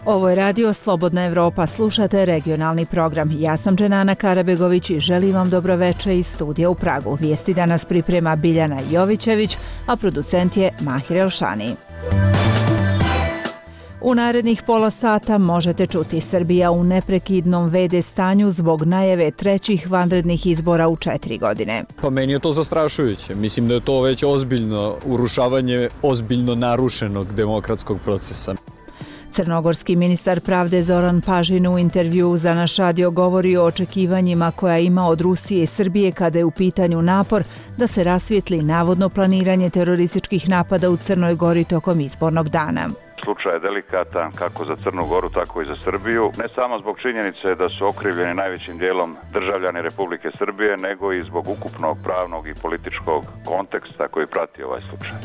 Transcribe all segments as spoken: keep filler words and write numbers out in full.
Ovo je radio Slobodna Evropa, slušate regionalni program. Ja sam Dženana Karabegović i želim vam dobro veče iz studija u Pragu. Vijesti danas priprema Biljana Jovićević, a producent je Mahir Elšani. U narednih pola sata možete čuti Srbija u neprekidnom ve de stanju zbog najave trećih vanrednih izbora u četiri godine. Pa meni je to zastrašujuće. Mislim da je to već ozbiljno urušavanje ozbiljno narušenog demokratskog procesa. Crnogorski ministar pravde Zoran Pažin u intervjuu za naš radio govori o očekivanjima koja ima od Rusije i Srbije kada je u pitanju napor da se rasvijetli navodno planiranje terorističkih napada u Crnoj Gori tokom izbornog dana. Slučaj je delikatan kako za Crnu Goru, tako i za Srbiju. Ne samo zbog činjenice da su okrivljeni najvećim dijelom državljani Republike Srbije, nego i zbog ukupnog pravnog i političkog konteksta koji prati ovaj slučaj.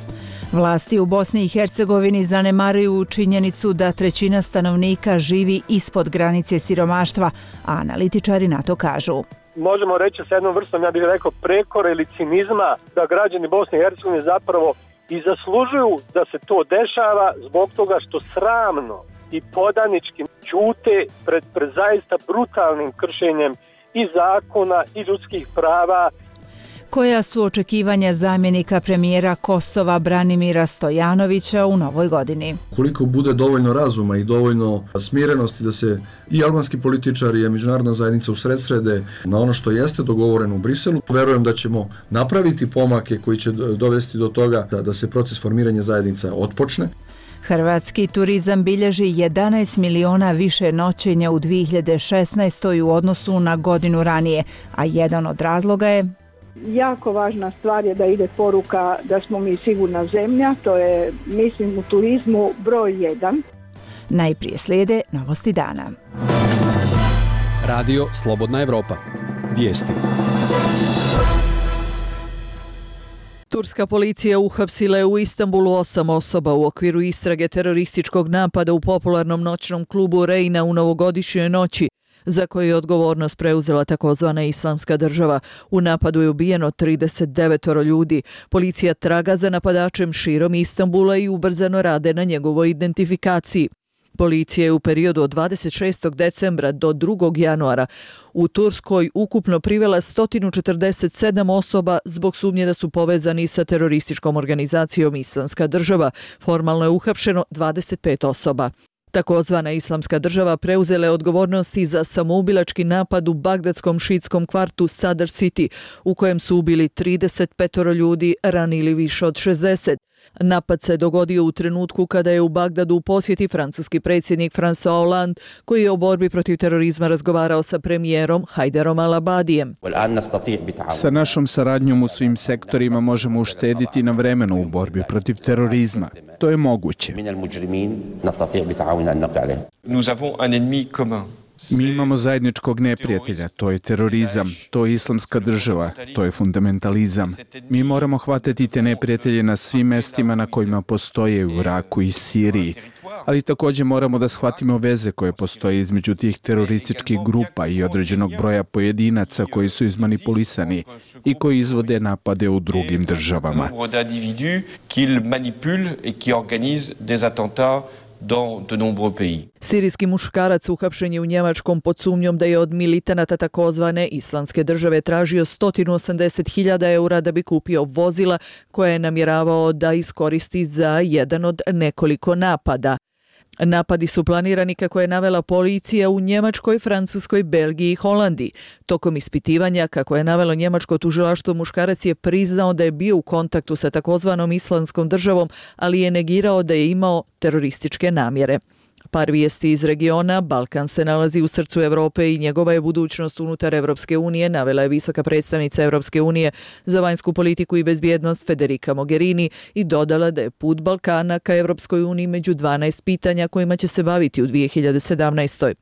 Vlasti u Bosni i Hercegovini zanemaruju činjenicu da trećina stanovnika živi ispod granice siromaštva, a analitičari na to kažu. Možemo reći sa jednom vrstom, ja bih rekao, prekora ili cinizma da građani Bosne i Hercegovine zapravo i zaslužuju da se to dešava zbog toga što sramno i podanički ćute pred, pred zaista brutalnim kršenjem i zakona i ljudskih prava. Koja su očekivanja zamjenika premijera Kosova Branimira Stojanovića u novoj godini? Koliko bude dovoljno razuma i dovoljno smirenosti da se i albanski političari i međunarodna zajednica usredsrede na ono što jeste dogovoreno u Briselu, verujem da ćemo napraviti pomake koji će dovesti do toga da, da se proces formiranja zajednica otpočne. Hrvatski turizam bilježi jedanaest miliona više noćenja u dvije hiljade šesnaestoj. u odnosu na godinu ranije, a jedan od razloga je jako važna stvar je da ide poruka da smo mi sigurna zemlja, to je, mislim, u turizmu broj jedan. Najprije slijede novosti dana. Radio Slobodna Evropa. Vijesti. Turska policija uhapsila je u Istanbulu osam osoba u okviru istrage terorističkog napada u popularnom noćnom klubu Rejna u novogodišnjoj noći, za koju je odgovornost preuzela takozvana Islamska država. U napadu je ubijeno trideset devet ljudi. Policija traga za napadačem širom Istanbula i ubrzano rade na njegovoj identifikaciji. Policija je u periodu od dvadeset šestog decembra do drugog januara u Turskoj ukupno privela sto četrdeset sedam osoba zbog sumnje da su povezani sa terorističkom organizacijom Islamska država. Formalno je uhapšeno dvadeset pet osoba. Takozvana Islamska država preuzela je odgovornosti za samoubilački napad u bagdadskom šiitskom kvartu Sadr City, u kojem su ubili trideset pet ljudi, ranili više od šezdeset. Napad se dogodio u trenutku kada je u Bagdadu u posjeti francuski predsjednik François Hollande, koji je o borbi protiv terorizma razgovarao sa premijerom Hajderom al-Abadijem. Sa našom saradnjom u svim sektorima možemo uštediti na vremenu u borbi protiv terorizma. To je moguće. Nous avons un ennemi commun. Mi imamo zajedničkog neprijatelja, to je terorizam, to je Islamska država, to je fundamentalizam. Mi moramo hvatati te neprijatelje na svim mestima na kojima postoje u Iraku i Siriji, ali također moramo da shvatimo veze koje postoje između tih terorističkih grupa i određenog broja pojedinaca koji su izmanipulisani i koji izvode napade u drugim državama. Sirijski muškarac uhapšen je u Njemačkom pod sumnjom da je od militanata takozvane Islamske države tražio sto osamdeset hiljada eura da bi kupio vozila koje je namjeravao da iskoristi za jedan od nekoliko napada. Napadi su planirani, kako je navela policija, u Njemačkoj, Francuskoj, Belgiji i Holandiji. Tokom ispitivanja, kako je navelo njemačko tužilaštvo, muškarac je priznao da je bio u kontaktu sa takozvanom Islamskom državom, ali je negirao da je imao terorističke namjere. Par vijesti iz regiona. Balkan se nalazi u srcu Evrope i njegova je budućnost unutar Evropske unije, navela je visoka predstavnica Evropske unije za vanjsku politiku i bezbjednost Federica Mogherini i dodala da je put Balkana ka Evropskoj uniji među dvanaest pitanja kojima će se baviti u dvije hiljade sedamnaestoj.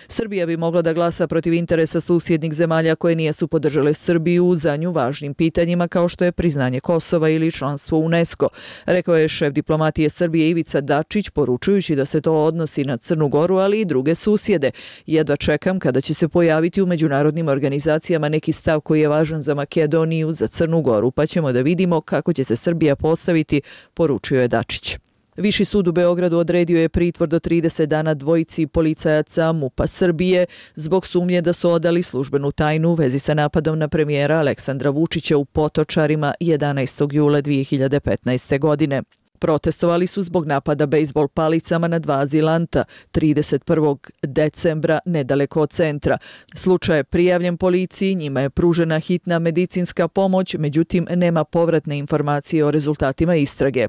Srbija bi mogla da glasa protiv interesa susjednih zemalja koje nijesu podržale Srbiju za nju važnim pitanjima kao što je priznanje Kosova ili članstvo u UNESCO, rekao je šef diplomatije Srbije Ivica Dačić, poručujući da se to odnosi na Crnu Goru, ali i druge susjede. Jedva čekam kada će se pojaviti u međunarodnim organizacijama neki stav koji je važan za Makedoniju, za Crnu Goru, pa ćemo da vidimo kako će se Srbija postaviti, poručio je Dačić. Viši sud u Beogradu odredio je pritvor do trideset dana dvojici policajaca MUP-a Srbije zbog sumnje da su odali službenu tajnu u vezi sa napadom na premijera Aleksandra Vučića u Potočarima jedanaestog jula dvije hiljade petnaeste. godine. Protestovali su zbog napada bejzbol palicama na dva azilanta trideset prvog decembra nedaleko od centra. Slučaj je prijavljen policiji, njima je pružena hitna medicinska pomoć, međutim nema povratne informacije o rezultatima istrage.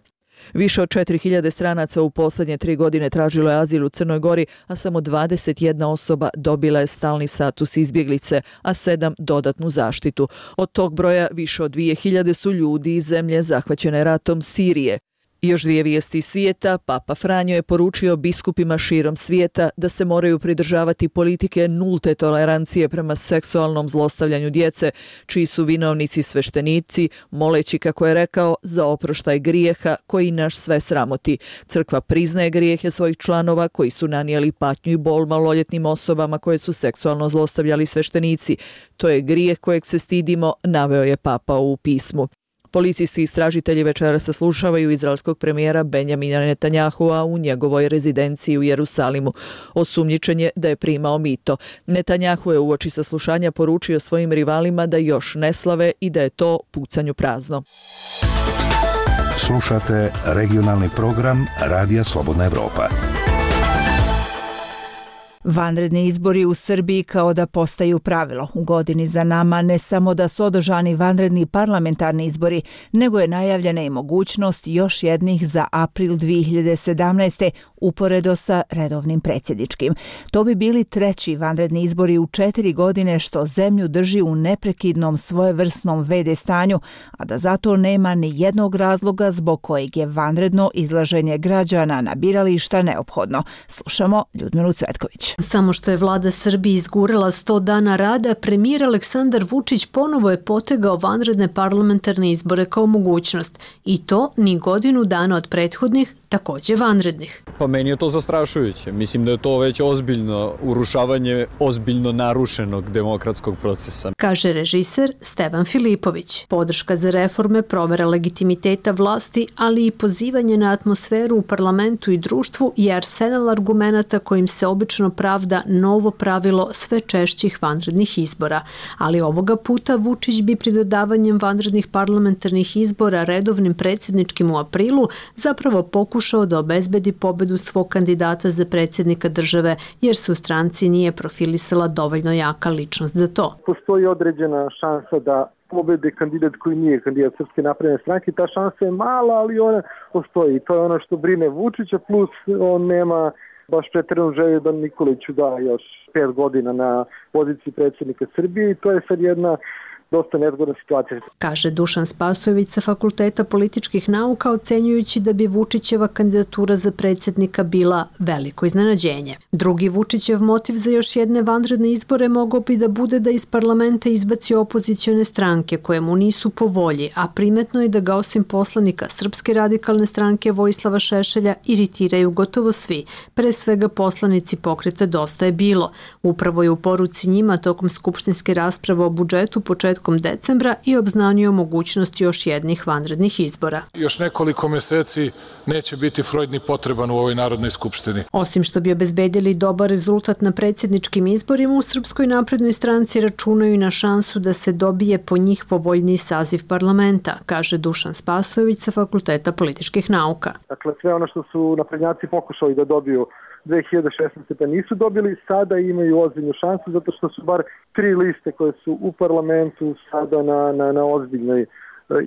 Više od četiri hiljade stranaca u posljednje tri godine tražilo je azil u Crnoj Gori, a samo dvadeset jedna osoba dobila je stalni status izbjeglice, a sedam dodatnu zaštitu. Od tog broja više od dvije hiljade su ljudi iz zemlje zahvaćene ratom Sirije. I još dvije vijesti iz svijeta. Papa Franjo je poručio biskupima širom svijeta da se moraju pridržavati politike nulte tolerancije prema seksualnom zlostavljanju djece, čiji su vinovnici sveštenici, moleći, kako je rekao, za oproštaj grijeha koji naš sve sramoti. Crkva priznaje grijehe svojih članova koji su nanijeli patnju i bol maloljetnim osobama koje su seksualno zlostavljali sveštenici. To je grijeh kojeg se stidimo, naveo je papa u pismu. Policijski istražitelji večera saslušavaju izraelskog premijera Benjamina Netanjahua u njegovoj rezidenciji u Jerusalimu. Osumnjičen je da je primao mito. Netanjahu je uoči saslušanja poručio svojim rivalima da još ne slave i da je to pucanju prazno. Slušate regionalni program Radija Slobodna Evropa. Vanredni izbori u Srbiji kao da postaju pravilo. U godini za nama ne samo da su održani vanredni parlamentarni izbori, nego je najavljena i mogućnost još jednih za april dvije hiljade sedamnaeste. uporedo sa redovnim predsjedničkim. To bi bili treći vanredni izbori u četiri godine, što zemlju drži u neprekidnom svojevrsnom ve de stanju, a da zato nema ni jednog razloga zbog kojeg je vanredno izlaženje građana na birališta neophodno. Slušamo Ljudmilu Cvetković. Samo što je vlada Srbije izgurala sto dana rada, premijer Aleksandar Vučić ponovo je potegao vanredne parlamentarne izbore kao mogućnost. I to ni godinu dana od prethodnih, također vanrednih. Pa meni je to zastrašujuće. Mislim da je to već ozbiljno urušavanje ozbiljno narušenog demokratskog procesa. Kaže režiser Stevan Filipović. Podrška za reforme, provera legitimiteta vlasti, ali i pozivanje na atmosferu u parlamentu i društvu je arsenal argumenata kojim se obično pravda novo pravilo sve češćih vanrednih izbora. Ali ovoga puta Vučić bi pri dodavanjem vanrednih parlamentarnih izbora redovnim predsjedničkim u aprilu zapravo pokušao da obezbedi pobedu svog kandidata za predsjednika države, jer se u stranci nije profilisala dovoljno jaka ličnost za to. Postoji određena šansa da pobede kandidat koji nije kandidat Srpske napredne stranke. Ta šansa je mala, ali ona postoji. To je ono što brine Vučića, plus on nema baš pretjeranu želju da Nikoliću da još pet godina na poziciji predsjednika Srbije i to je sad jedna dosta nezgodna situacija. Kaže Dušan Spasojević sa Fakulteta političkih nauka, ocenjujući da bi Vučićeva kandidatura za predsjednika bila veliko iznenađenje. Drugi Vučićev motiv za još jedne vanredne izbore mogao bi da bude da iz parlamenta izbaci opozicione stranke koje mu nisu po volji, a primetno je da ga osim poslanika Srpske radikalne stranke Vojislava Šešelja iritiraju gotovo svi, pre svega poslanici pokreta Dosta je bilo. Upravo je u poruci njima tokom skupštinske rasprave o budžetu početkom decembra i obznanio mogućnost još jednih vanrednih izbora. Još nekoliko meseci neće biti Freud ni potreban u ovoj Narodnoj skupštini. Osim što bi obezbedili dobar rezultat na predsjedničkim izborima, u Srpskoj naprednoj stranci računaju na šansu da se dobije po njih povoljniji saziv parlamenta, kaže Dušan Spasojević sa Fakulteta političkih nauka. Dakle, sve ono što su naprednjaci pokušali da dobiju dve hiljade šesnaeste. pa nisu dobili, sada imaju ozbiljnu šansu zato što su bar tri liste koje su u parlamentu sada na, na, na ozbiljnoj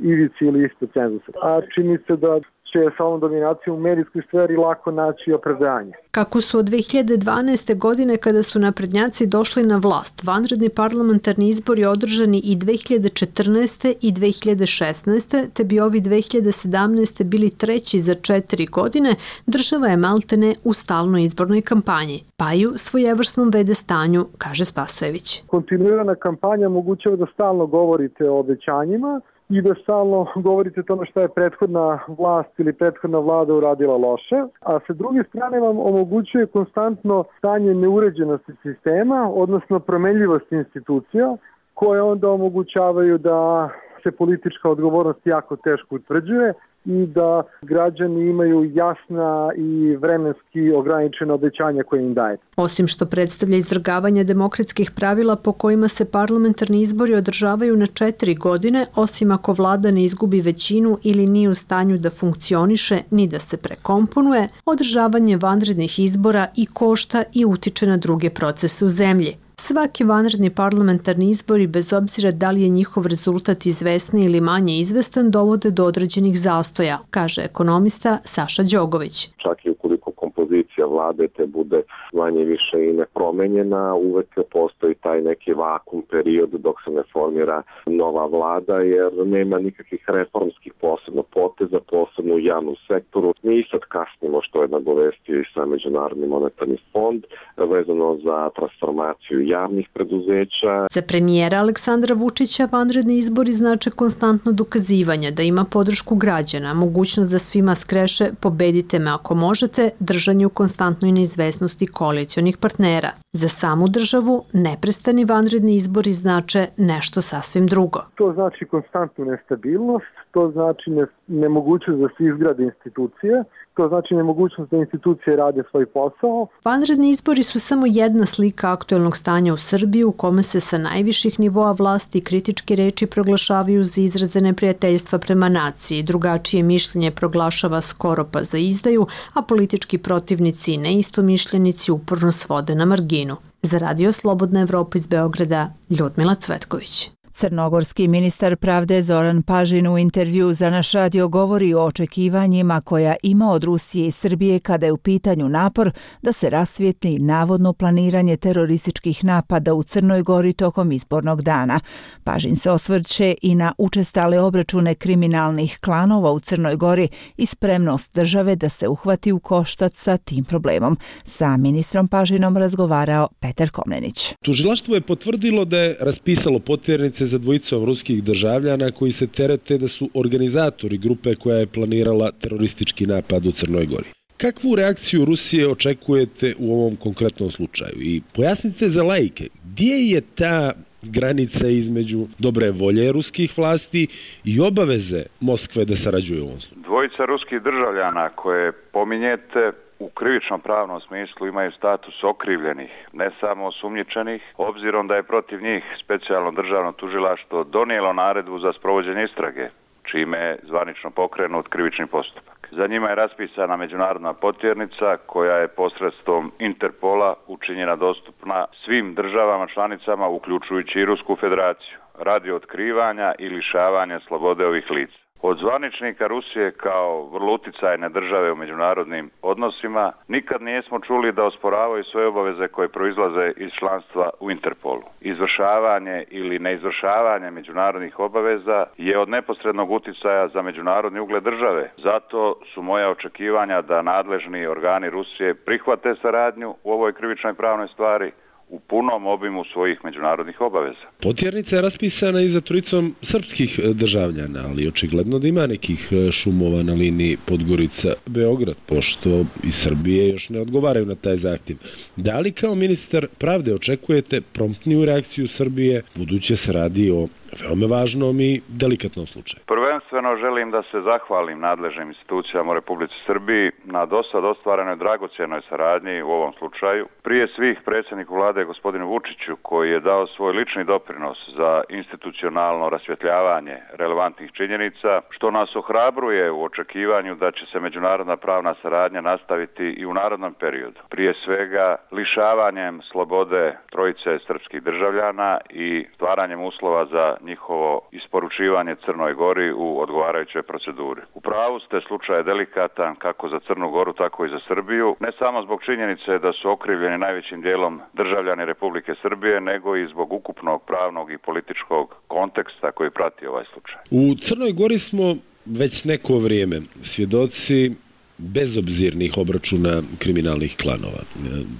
ivici ili ispod cenzusa. A čini se da će sa ovom dominacijom u medijskoj sferi lako naći opravdanje. Kako su od dve hiljade dvanaeste. godine, kada su naprednjaci došli na vlast, vanredni parlamentarni izbori održani i dve hiljade četrnaeste. i dve hiljade šesnaeste. te bi ovi dve hiljade sedamnaeste. bili treći za četiri godine, država je maltene u stalnoj izbornoj kampanji, pa i u svojevrsnom ve de stanju, kaže Spasojević. Kontinuirana kampanja omogućava da stalno govorite o obećanjima i da stalno govorite o tome šta je prethodna vlast ili prethodna vlada uradila loše, a sa druge strane vam omogućuje konstantno stanje neuređenosti sistema, odnosno promenljivosti institucija, koje onda omogućavaju da se politička odgovornost jako teško utvrđuje i da građani imaju jasna i vremenski ograničena obećanja koje im daje. Osim što predstavlja izvrgavanje demokratskih pravila po kojima se parlamentarni izbori održavaju na četiri godine, osim ako vlada ne izgubi većinu ili nije u stanju da funkcioniše ni da se prekomponuje, održavanje vanrednih izbora i košta i utiče na druge procese u zemlji. Svaki vanredni parlamentarni izbori, bez obzira da li je njihov rezultat izvesni ili manje izvestan, dovode do određenih zastoja, kaže ekonomista Saša Đogović. Čak i ukoliko kompozicija vlade te bude manje više i nepromenjena, uvek postoji taj neki vakum period dok se ne formira nova vlada, jer nema nikakvih reformskih posebno poteza, posebno u javnom sektoru. Mi sad kasnimo, što je nagovestio i sam Međunarodni monetarni fond, vezano za transformaciju javnih preduzeća. Za premijera Aleksandra Vučića vanredni izbori znače konstantno dokazivanje da ima podršku građana, mogućnost da svima skreše pobedite me ako možete, držanje u konstantnoj neizvesnosti koalicionih partnera. Za samu državu neprestani vanredni izbori znače nešto sasvim drugo. To znači konstantnu nestabilnost, to znači ne, nemogućnost da se izgrade institucije, to znači nemogućnost da institucije rade svoj posao. Vanredni izbori su samo jedna slika aktuelnog stanja u Srbiji u kome se sa najviših nivoa vlasti kritičke reči proglašavaju za izraze neprijateljstva prema naciji, drugačije mišljenje proglašava skoro pa za izdaju, a politički protivnici i neistomišljenici uporno svode na marginu. Za Radio Slobodna Evropa iz Beograda, Ljudmila Cvetković. Crnogorski ministar pravde Zoran Pažin u intervju za naš radio govori o očekivanjima koja ima od Rusije i Srbije kada je u pitanju napor da se rasvijetli navodno planiranje terorističkih napada u Crnoj Gori tokom izbornog dana. Pažin se osvrće i na učestale obračune kriminalnih klanova u Crnoj Gori i spremnost države da se uhvati u koštac sa tim problemom. Sa ministrom Pažinom razgovarao Petar Komnenić. Tužilaštvo je potvrdilo da je raspisalo potjernice za dvojicom ruskih državljana koji se terete da su organizatori grupe koja je planirala teroristički napad u Crnoj Gori. Kakvu reakciju Rusije očekujete u ovom konkretnom slučaju? I pojasnite za laike, gdje je ta granica između dobre volje ruskih vlasti i obaveze Moskve da sarađuje u ovom slučaju? Dvojica ruskih državljana koje pominjete u krivičnom pravnom smislu imaju status okrivljenih, ne samo osumnjičenih, obzirom da je protiv njih specijalno državno tužilaštvo donijelo naredbu za sprovođenje istrage, čime je zvanično pokrenut krivični postupak. Za njima je raspisana međunarodna potjernica koja je posredstvom Interpola učinjena dostupna svim državama članicama, uključujući i Rusku federaciju, radi otkrivanja i lišavanja slobode ovih lica. Od zvaničnika Rusije kao vrlo uticajne države u međunarodnim odnosima nikad nismo čuli da osporavaju svoje obaveze koje proizlaze iz članstva u Interpolu. Izvršavanje ili neizvršavanje međunarodnih obaveza je od neposrednog uticaja za međunarodni ugled države. Zato su moja očekivanja da nadležni organi Rusije prihvate saradnju u ovoj krivičnoj pravnoj stvari u punom obimu svojih međunarodnih obaveza. Potjernica je raspisana i za trojicom srpskih državljana, ali očigledno da ima nekih šumova na liniji Podgorica-Beograd, pošto iz Srbije još ne odgovaraju na taj zahtjev. Da li kao ministar pravde očekujete promptniju reakciju Srbije, budući se radi o veoma važnom i delikatnom slučaju? Prvenstveno želim da se zahvalim nadležnim institucijama u Republici Srbiji na dosad ostvarenoj dragocjenoj saradnji u ovom slučaju. Prije svih predsjedniku vlade gospodinu Vučiću koji je dao svoj lični doprinos za institucionalno rasvjetljavanje relevantnih činjenica, što nas ohrabruje u očekivanju da će se međunarodna pravna saradnja nastaviti i u narednom periodu. Prije svega lišavanjem slobode trojice srpskih državljana i stvaranjem uslova za njihovo isporučivanje Crnoj Gori u odgovarajućoj proceduri. U pravu ste, slučaj je delikatan kako za Crnu Goru, tako i za Srbiju, ne samo zbog činjenice da su okrivljeni najvećim dijelom državljani Republike Srbije, nego i zbog ukupnog pravnog i političkog konteksta koji prati ovaj slučaj. U Crnoj Gori smo već neko vrijeme svjedoci bezobzirnih obračuna kriminalnih klanova.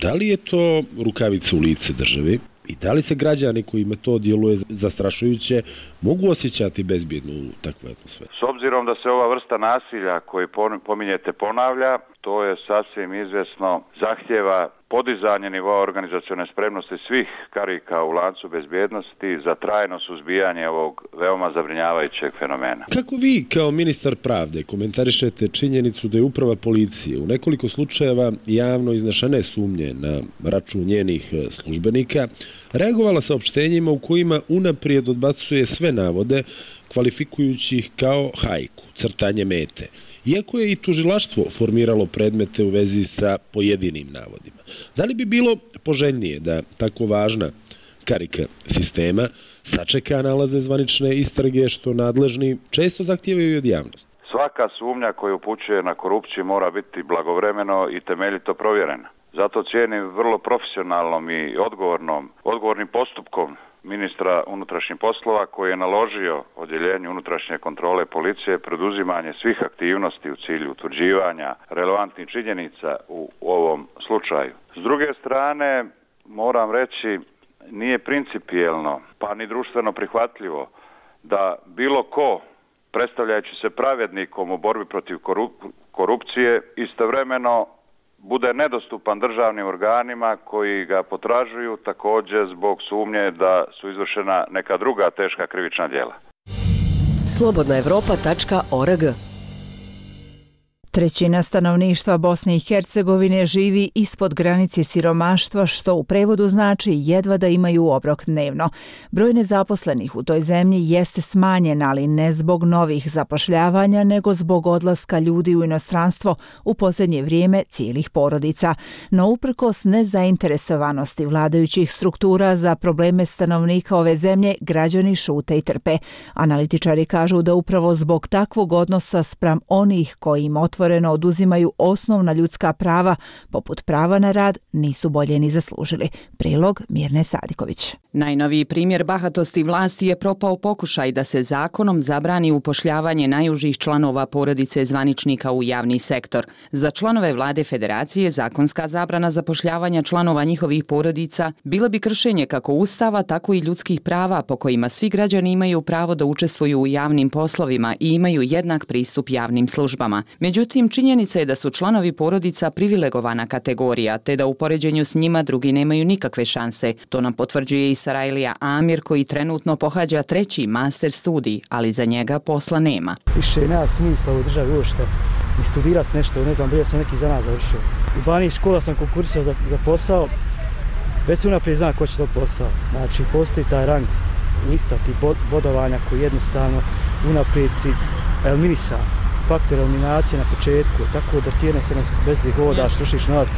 Da li je to rukavica u lice državi? I da li se građani kojima to djeluje zastrašujuće mogu osjećati bezbjedno u takvoj atmosferi? S obzirom da se ova vrsta nasilja koju pominjete ponavlja, to je sasvim izvjesno zahtjeva podizanje nivoa organizacione spremnosti svih karika u lancu bezbjednosti za trajno suzbijanje ovog veoma zabrinjavajućeg fenomena. Kako vi kao ministar pravde komentarišete činjenicu da je uprava policije u nekoliko slučajeva javno iznešene sumnje na račun njenih službenika reagovala saopštenjima u kojima unaprijed odbacuje sve navode, kvalifikujući ih kao hajku, crtanje mete, iako je i tužilaštvo formiralo predmete u vezi sa pojedinim navodima? Da li bi bilo poželjnije da tako važna karika sistema sačeka nalaze zvanične istrage, što nadležni često zahtijevaju od javnosti? Svaka sumnja koja upućuje na korupciju mora biti blagovremeno i temeljito provjerena. Zato cijenim vrlo profesionalnom i odgovornom, odgovornim postupkom ministra unutrašnjih poslova koji je naložio odjeljenju unutrašnje kontrole policije preduzimanje svih aktivnosti u cilju utvrđivanja relevantnih činjenica u ovom slučaju. S druge strane, moram reći, nije principijelno pa ni društveno prihvatljivo da bilo ko, predstavljajući se pravednikom u borbi protiv korupcije, istovremeno bude nedostupan državnim organima koji ga potražuju također zbog sumnje da su izvršena neka druga teška krivična djela. slobodna evropa tačka org. Trećina stanovništva Bosne i Hercegovine živi ispod granice siromaštva, što u prevodu znači jedva da imaju obrok dnevno. Broj nezaposlenih u toj zemlji jeste smanjen, ali ne zbog novih zapošljavanja, nego zbog odlaska ljudi u inostranstvo u posljednje vrijeme cijelih porodica. No uprkos nezainteresovanosti vladajućih struktura za probleme stanovnika ove zemlje, građani šute i trpe. Analitičari kažu da upravo zbog takvog odnosa spram onih koji im otvoreno oduzimaju osnovna ljudska prava, poput prava na rad, nisu bolje ni zaslužili. Prilog Mirne Sadiković. Najnoviji primjer bahatosti vlasti je propao pokušaj da se zakonom zabrani upošljavanje najužih članova porodice zvaničnika u javni sektor. Za članove vlade federacije zakonska zabrana zapošljavanja članova njihovih porodica bila bi kršenje kako ustava, tako i ljudskih prava po kojima svi građani imaju pravo da učestvuju u javnim poslovima i imaju jednak pristup javnim službama. Međutim, činjenica je da su članovi porodica privilegovana kategorija, te da u poređenju s njima drugi nemaju nikakve šanse. To nam potvrđuje i Sarajlija Amir, koji trenutno pohađa treći master studij, ali za njega posla nema. Više nema smisla u državi uopšte i studirati nešto, ne znam, bio sam neki zanat završio. U dvanaest škola sam konkursio za, za posao, već se unaprijed zna ko će to posao. Znači, postoji taj rang lista tih bod, bodovanja koji jednostavno unaprijed si eliminisan. Faktor eliminacije na početku, tako da ti jednostavno bez ih hodaš, vršiš novac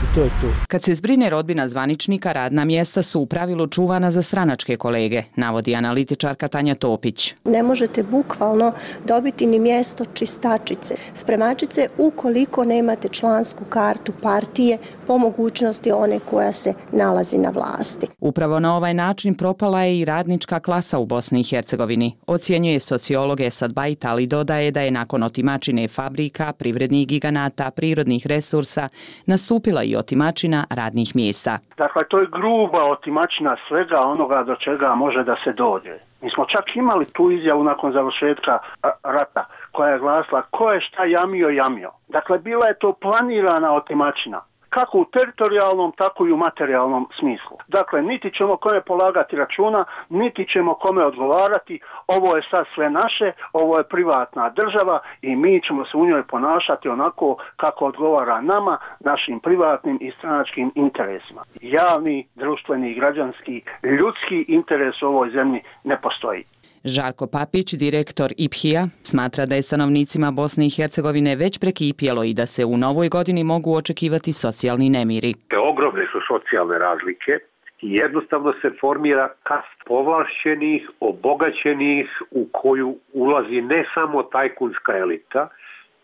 i to je to. Kad se zbrine rodbina zvaničnika, radna mjesta su u pravilu čuvana za stranačke kolege, navodi analitičarka Tanja Topić. Ne možete bukvalno dobiti ni mjesto čistačice, spremačice, ukoliko nemate člansku kartu partije, po mogućnosti one koja se nalazi na vlasti. Upravo na ovaj način propala je i radnička klasa u Bosni i Hercegovini, ocjenjuje sociolog Esad Bajt, ali dodaje da je nakon otimačine fabrika, privrednih giganata, prirodnih resursa, nastupila i otimačina radnih mjesta. Dakle, to je gruba otimačina svega onoga do čega može da se dođe. Mi smo čak imali tu izjavu nakon završetka rata koja je glasila ko je šta jamio, jamio. Dakle, bila je to planirana otimačina. Kako u teritorijalnom, tako i u materijalnom smislu. Dakle, niti ćemo kome polagati računa, niti ćemo kome odgovarati, ovo je sad sve naše, ovo je privatna država i mi ćemo se u njoj ponašati onako kako odgovara nama, našim privatnim i stranačkim interesima. Javni, društveni, građanski, ljudski interes u ovoj zemlji ne postoji. Žarko Papić, direktor I P H I-a, smatra da je stanovnicima Bosne i Hercegovine već prekipjelo i da se u novoj godini mogu očekivati socijalni nemiri. Ogromne su socijalne razlike i jednostavno se formira kast povlašćenih, obogaćenih u koju ulazi ne samo tajkunska elita,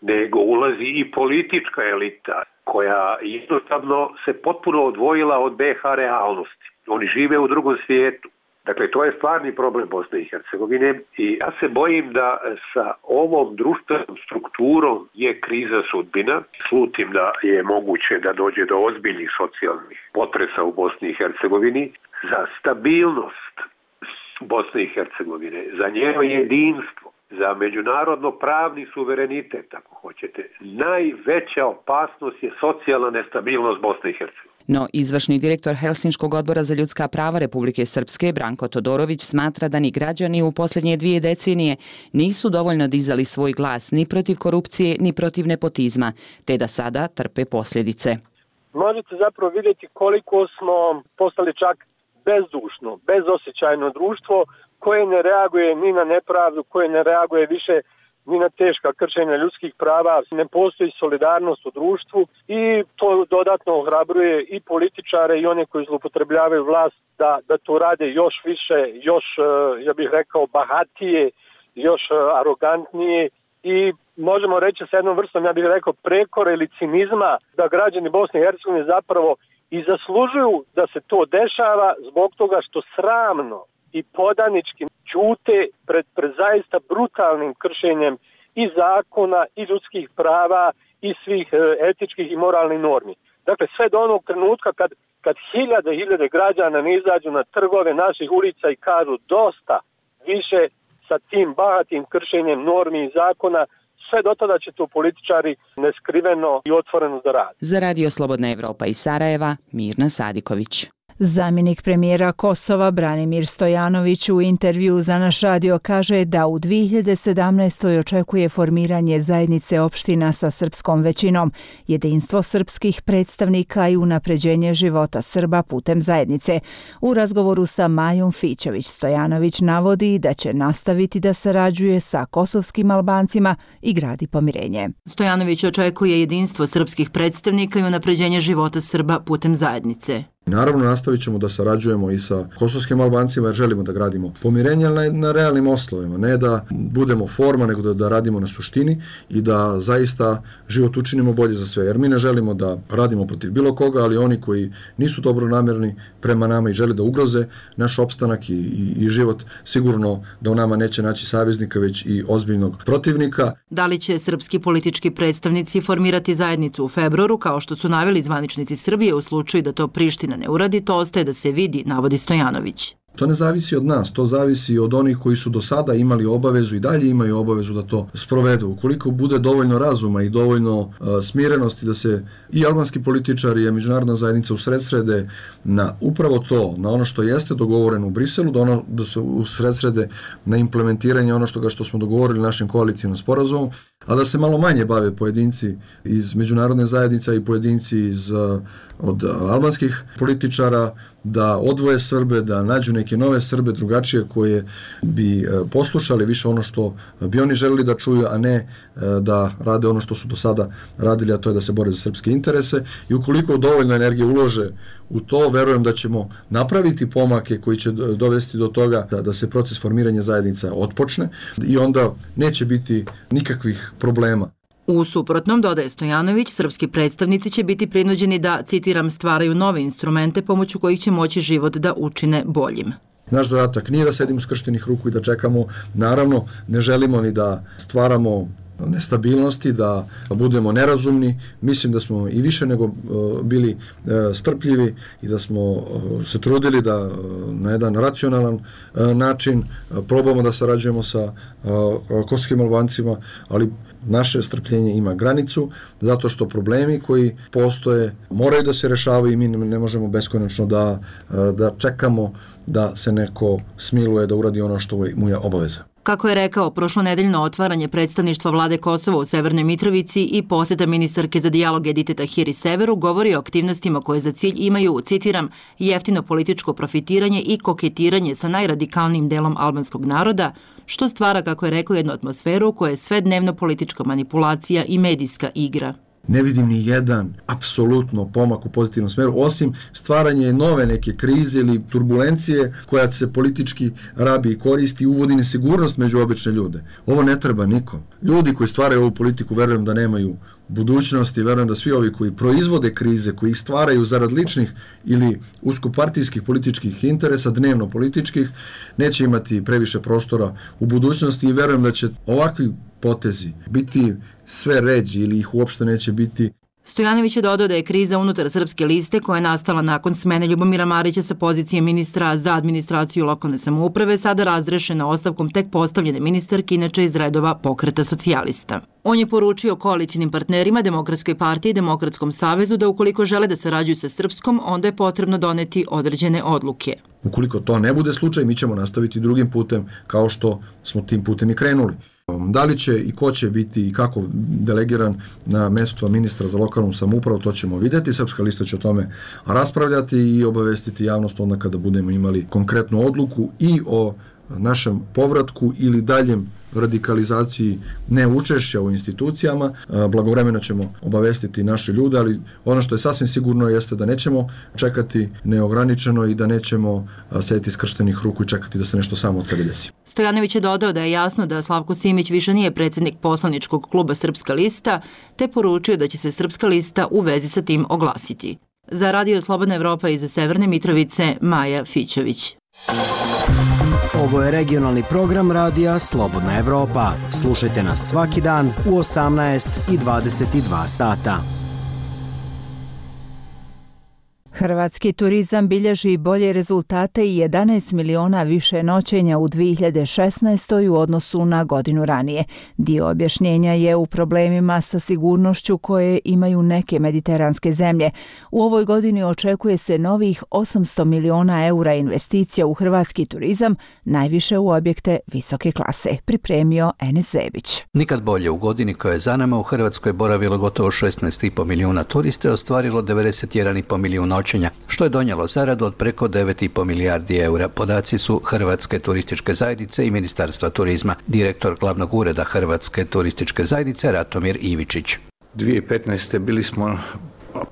nego ulazi i politička elita koja jednostavno se potpuno odvojila od B H realnosti. Oni žive u drugom svijetu. Dakle, to je stvarni problem Bosne i Hercegovine i ja se bojim da sa ovom društvenom strukturom je kriza sudbina. Slutim da je moguće da dođe do ozbiljnih socijalnih potresa u Bosni i Hercegovini. Za stabilnost Bosne i Hercegovine, za njeno jedinstvo, za međunarodno pravni suverenitet, ako hoćete, najveća opasnost je socijalna nestabilnost Bosne i Hercegovine. No, izvršni direktor Helsinškog odbora za ljudska prava Republike Srpske, Branko Todorović, smatra da ni građani u posljednje dvije decenije nisu dovoljno dizali svoj glas ni protiv korupcije, ni protiv nepotizma, te da sada trpe posljedice. Možete zapravo vidjeti koliko smo postali čak bezdušno, bezosjećajno društvo koje ne reaguje ni na nepravdu, koje ne reaguje više ni na teška kršenja ljudskih prava, ne postoji solidarnost u društvu i to dodatno ohrabruje i političare i one koji zloupotrebljavaju vlast da, da to rade još više, još, ja bih rekao, bahatije, još arogantnije i možemo reći sa jednom vrstom, ja bih rekao, prekora ili cinizma da građani Bosne i Hercegovine zapravo i zaslužuju da se to dešava zbog toga što sramno i podanički ćute pred, pred zaista brutalnim kršenjem i zakona i ljudskih prava i svih etičkih i moralnih normi. Dakle, sve do onog trenutka kad, kad hiljade i hiljade građana ne izađu na trgove naših ulica i kažu dosta više sa tim bahatim kršenjem normi i zakona, sve do tada će to političari neskriveno i otvoreno da rade. Za Radio Slobodna Evropa iz Sarajeva, Mirna Sadiković. Zamjenik premijera Kosova Branimir Stojanović u intervju za naš radio kaže da u dvije hiljade sedamnaestoj. očekuje formiranje zajednice opština sa srpskom većinom, jedinstvo srpskih predstavnika i unapređenje života Srba putem zajednice. U razgovoru sa Majom Fićević Stojanović navodi da će nastaviti da sarađuje sa kosovskim Albancima i gradi pomirenje. Stojanović očekuje jedinstvo srpskih predstavnika i unapređenje života Srba putem zajednice. Naravno, nastavit ćemo da sarađujemo i sa kosovskim Albancima jer želimo da gradimo pomirenje na, na realnim osnovima, ne da budemo forma, nego da, da radimo na suštini i da zaista život učinimo bolje za sve. Jer mi ne želimo da radimo protiv bilo koga, ali oni koji nisu dobronamjerni prema nama i žele da ugroze naš opstanak i, i, i život, sigurno da u nama neće naći saveznika, već i ozbiljnog protivnika. Da li će srpski politički predstavnici formirati zajednicu u februaru, kao što su naveli zvaničnici Srbije u slučaju da to Priština ne uradi, to ostaje da se vidi, navodi Stojanović. To ne zavisi od nas, to zavisi od onih koji su do sada imali obavezu i dalje imaju obavezu da to sprovedu. Ukoliko bude dovoljno razuma i dovoljno uh, smirenosti da se i albanski političari i međunarodna zajednica usredsrede na upravo to, na ono što jeste dogovoreno u Briselu, da, ono, da se usredsrede na implementiranje ono što, što smo dogovorili našim koalicijom sporazumom, a da se malo manje bave pojedinci iz međunarodne zajednice i pojedinci iz, uh, od albanskih političara, da odvoje Srbe, da nađu neke nove Srbe, drugačije, koje bi poslušali više ono što bi oni želeli da čuju, a ne da rade ono što su do sada radili, a to je da se bore za srpske interese. I ukoliko dovoljno energije ulože u to, verujem da ćemo napraviti pomake koji će dovesti do toga da, da se proces formiranja zajednica otpočne i onda neće biti nikakvih problema. U suprotnom, dodaje Stojanović, srpski predstavnici će biti prinuđeni da, citiram, stvaraju nove instrumente pomoću kojih će moći život da učine boljim. Naš zadatak nije da sedimo skrštenih ruku i da čekamo. Naravno, ne želimo ni da stvaramo nestabilnosti, da budemo nerazumni. Mislim da smo i više nego bili strpljivi i da smo se trudili da na jedan racionalan način probamo da sarađujemo sa kosovskim Albancima, ali naše strpljenje ima granicu, zato što problemi koji postoje moraju da se rešavaju i mi ne možemo beskonačno da, da čekamo da se neko smiluje da uradi ono što mu je obaveza. Kako je rekao, prošlonedeljno otvaranje predstavništva vlade Kosova u Severnoj Mitrovici i posjeta ministarke za dijalog Edite Tahiri Severu govori o aktivnostima koje za cilj imaju, citiram, jeftino političko profitiranje i koketiranje sa najradikalnijim delom albanskog naroda, što stvara, kako je rekao, jednu atmosferu koja je sve dnevno politička manipulacija i medijska igra. Ne vidim ni jedan apsolutno pomak u pozitivnom smeru, osim stvaranje nove neke krize ili turbulencije koja se politički rabi i koristi i uvodi nesigurnost među obične ljude. Ovo ne treba nikom. Ljudi koji stvaraju ovu politiku, verujem da nemaju budućnosti, verujem da svi ovi koji proizvode krize, koji ih stvaraju zarad ličnih ili uskopartijskih političkih interesa, dnevno političkih, neće imati previše prostora u budućnosti i verujem da će ovakvi potezi biti sve ređi ili ih uopšte neće biti. Stojanović je dodao da je kriza unutar Srpske liste koja je nastala nakon smene Ljubomira Marića sa pozicije ministra za administraciju lokalne samouprave sada razrešena ostavkom tek postavljene ministarke, inače iz redova Pokreta socijalista. On je poručio koalicijnim partnerima, Demokratskoj partiji i Demokratskom savezu da ukoliko žele da sarađuju sa Srpskom, onda je potrebno doneti određene odluke. Ukoliko to ne bude slučaj, mi ćemo nastaviti drugim putem kao što smo tim putem i krenuli. Da li će i ko će biti i kako delegiran na mesto ministra za lokalnu samoupravu, to ćemo vidjeti. Srpska lista će o tome raspravljati i obavestiti javnost onda kada budemo imali konkretnu odluku i o našem povratku ili daljem radikalizaciji neučešća u institucijama. Blagovremeno ćemo obavestiti naše ljude, ali ono što je sasvim sigurno jeste da nećemo čekati neograničeno i da nećemo sedeti skrštenih ruku i čekati da se nešto samo od sebe desi. Stojanović je dodao da je jasno da Slavko Simić više nije predsjednik poslaničkog kluba Srpska lista, te poručio da će se Srpska lista u vezi sa tim oglasiti. Za Radio Slobodna Evropa iz Severne Mitrovice, Maja Fićević. Ovo je regionalni program radija Slobodna Evropa. Slušajte nas svaki dan u osamnaest i dvadeset dva sata. Hrvatski turizam bilježi bolje rezultate i jedanaest miliona više noćenja u dvije hiljade šesnaestoj. u odnosu na godinu ranije. Dio objašnjenja je u problemima sa sigurnošću koje imaju neke mediteranske zemlje. U ovoj godini očekuje se novih osamsto miliona eura investicija u hrvatski turizam, najviše u objekte visoke klase. Pripremio Enes Zebić. Nikad bolje, u godini koja je za nama u Hrvatskoj boravilo gotovo šesnaest i po milijuna turista i ostvarilo devedeset jedan i po milijun noćenja, što je donijelo zaradu od preko devet i po milijardi eura. Podaci su Hrvatske turističke zajednice i Ministarstva turizma. Direktor glavnog ureda Hrvatske turističke zajednice Ratomir Ivičić. dvije tisuće petnaeste. bili smo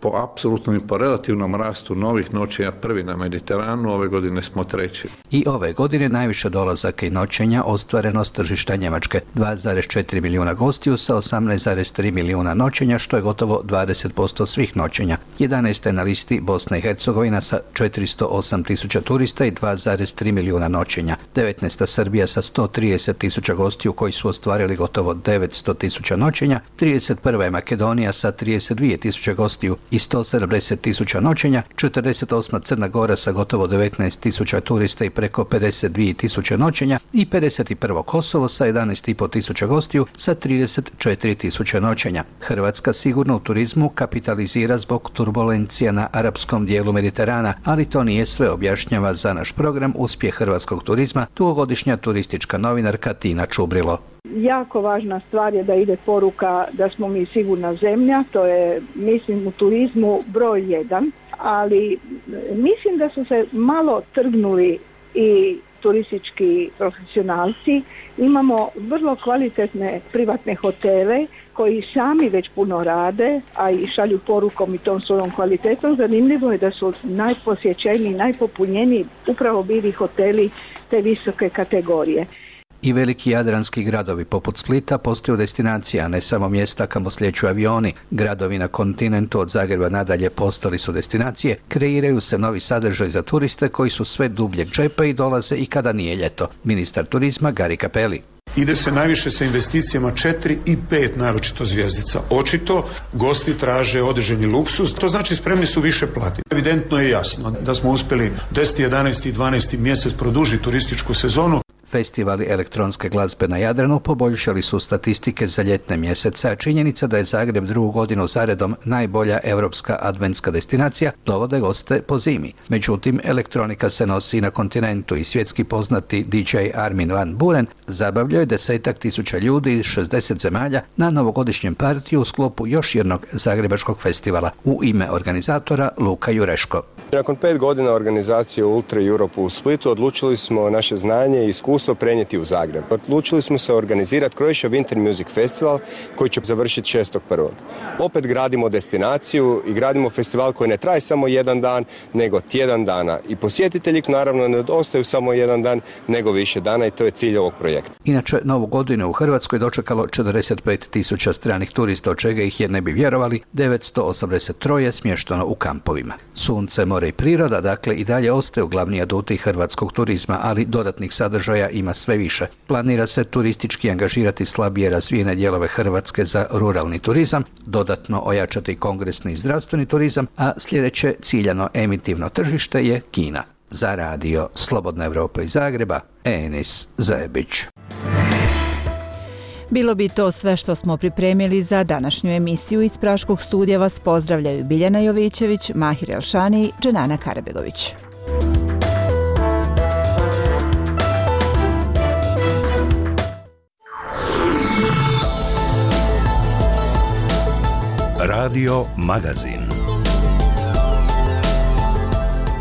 po apsolutnom i po relativnom rastu novih noćenja prvi na Mediteranu, ove godine smo treći. I ove godine najviše dolazaka i noćenja ostvareno s tržišta Njemačke, dva zarez četiri milijuna gostiju sa osamnaest zarez tri milijuna noćenja, što je gotovo dvadeset posto svih noćenja. jedanaesta je na listi Bosna i Hercegovina sa četiristo osam tisuća turista i dva zarez tri milijuna noćenja. devetnaesta Srbija sa sto trideset tisuća gostiju koji su ostvarili gotovo devetsto tisuća noćenja. trideset prva je Makedonija sa trideset dvije tisuće gostiju i sto sedamdeset tisuća noćenja, četrdeset osma Crna Gora sa gotovo devetnaest tisuća turista i preko pedeset dvije tisuće noćenja i pedeset prvo Kosovo sa jedanaest i po tisuća gostiju sa trideset četiri tisuće noćenja. Hrvatska sigurno u turizmu kapitalizira zbog turbulencija na arapskom dijelu Mediterana, ali to nije sve, objašnjava za naš program Uspjeh hrvatskog turizma dugogodišnja turistička novinarka Tina Čubrilo. Jako važna stvar je da ide poruka da smo mi sigurna zemlja, to je, mislim, u turizmu broj jedan, ali mislim da su se malo trgnuli i turistički profesionalci. Imamo vrlo kvalitetne privatne hotele koji sami već puno rade, a i šalju porukom i tom svojom kvalitetom. Zanimljivo je da su najposjećeniji, najpopunjeniji upravo bili hoteli te visoke kategorije. I veliki jadranski gradovi poput Splita postaju destinacija, a ne samo mjesta kamo slijeću avioni. Gradovi na kontinentu od Zagreba nadalje postali su destinacije, kreiraju se novi sadržaj za turiste koji su sve dubljeg džepa i dolaze i kada nije ljeto. Ministar turizma Gari Cappelli. Ide se najviše sa investicijama četiri i pet naročito zvjezdica. Očito gosti traže određeni luksuz, to znači spremni su više platiti. Evidentno je jasno da smo uspjeli deseti, jedanaesti i dvanaesti mjesec produžiti turističku sezonu. Festivali elektronske glazbe na Jadranu poboljšali su statistike za ljetne mjesece, a činjenica da je Zagreb drugu godinu zaredom najbolja europska adventska destinacija dovode goste po zimi. Međutim, elektronika se nosi i na kontinentu i svjetski poznati D J Armin van Buuren zabavljao je desetak tisuća ljudi iz šezdeset zemalja na novogodišnjem partiju u sklopu još jednog zagrebačkog festivala. U ime organizatora Luka Jureško. Nakon pet godina organizacije Ultra Europe u Splitu odlučili smo naše znanje i iskustvo prenijeti u Zagreb. Odlučili smo se organizirati Croatia Winter Music Festival koji će završiti šestog prvog Opet gradimo destinaciju i gradimo festival koji ne traje samo jedan dan, nego tjedan dana. I posjetitelji naravno ne ostaju samo jedan dan, nego više dana i to je cilj ovog projekta. Inače, novu godinu u Hrvatskoj dočekalo četrdeset pet tisuća stranih turista, od čega ih je, ne bi vjerovali, devetsto osamdeset tri smješteno u kampovima. Sunce, more more i priroda, dakle i dalje ostaju glavni aduti hrvatskog turizma, ali dodatnih sadržaja ima sve više. Planira se turistički angažirati slabije razvijene dijelove Hrvatske za ruralni turizam, dodatno ojačati kongresni i zdravstveni turizam, a sljedeće ciljano emitivno tržište je Kina. Za radio Slobodna Evropa iz Zagreba, Enis Zajebić. Bilo bi to sve što smo pripremili za današnju emisiju. Iz Praškog studija vas pozdravljaju Biljana Jovićević, Mahir Elšani i Dženana Karabegović. Radio Magazin.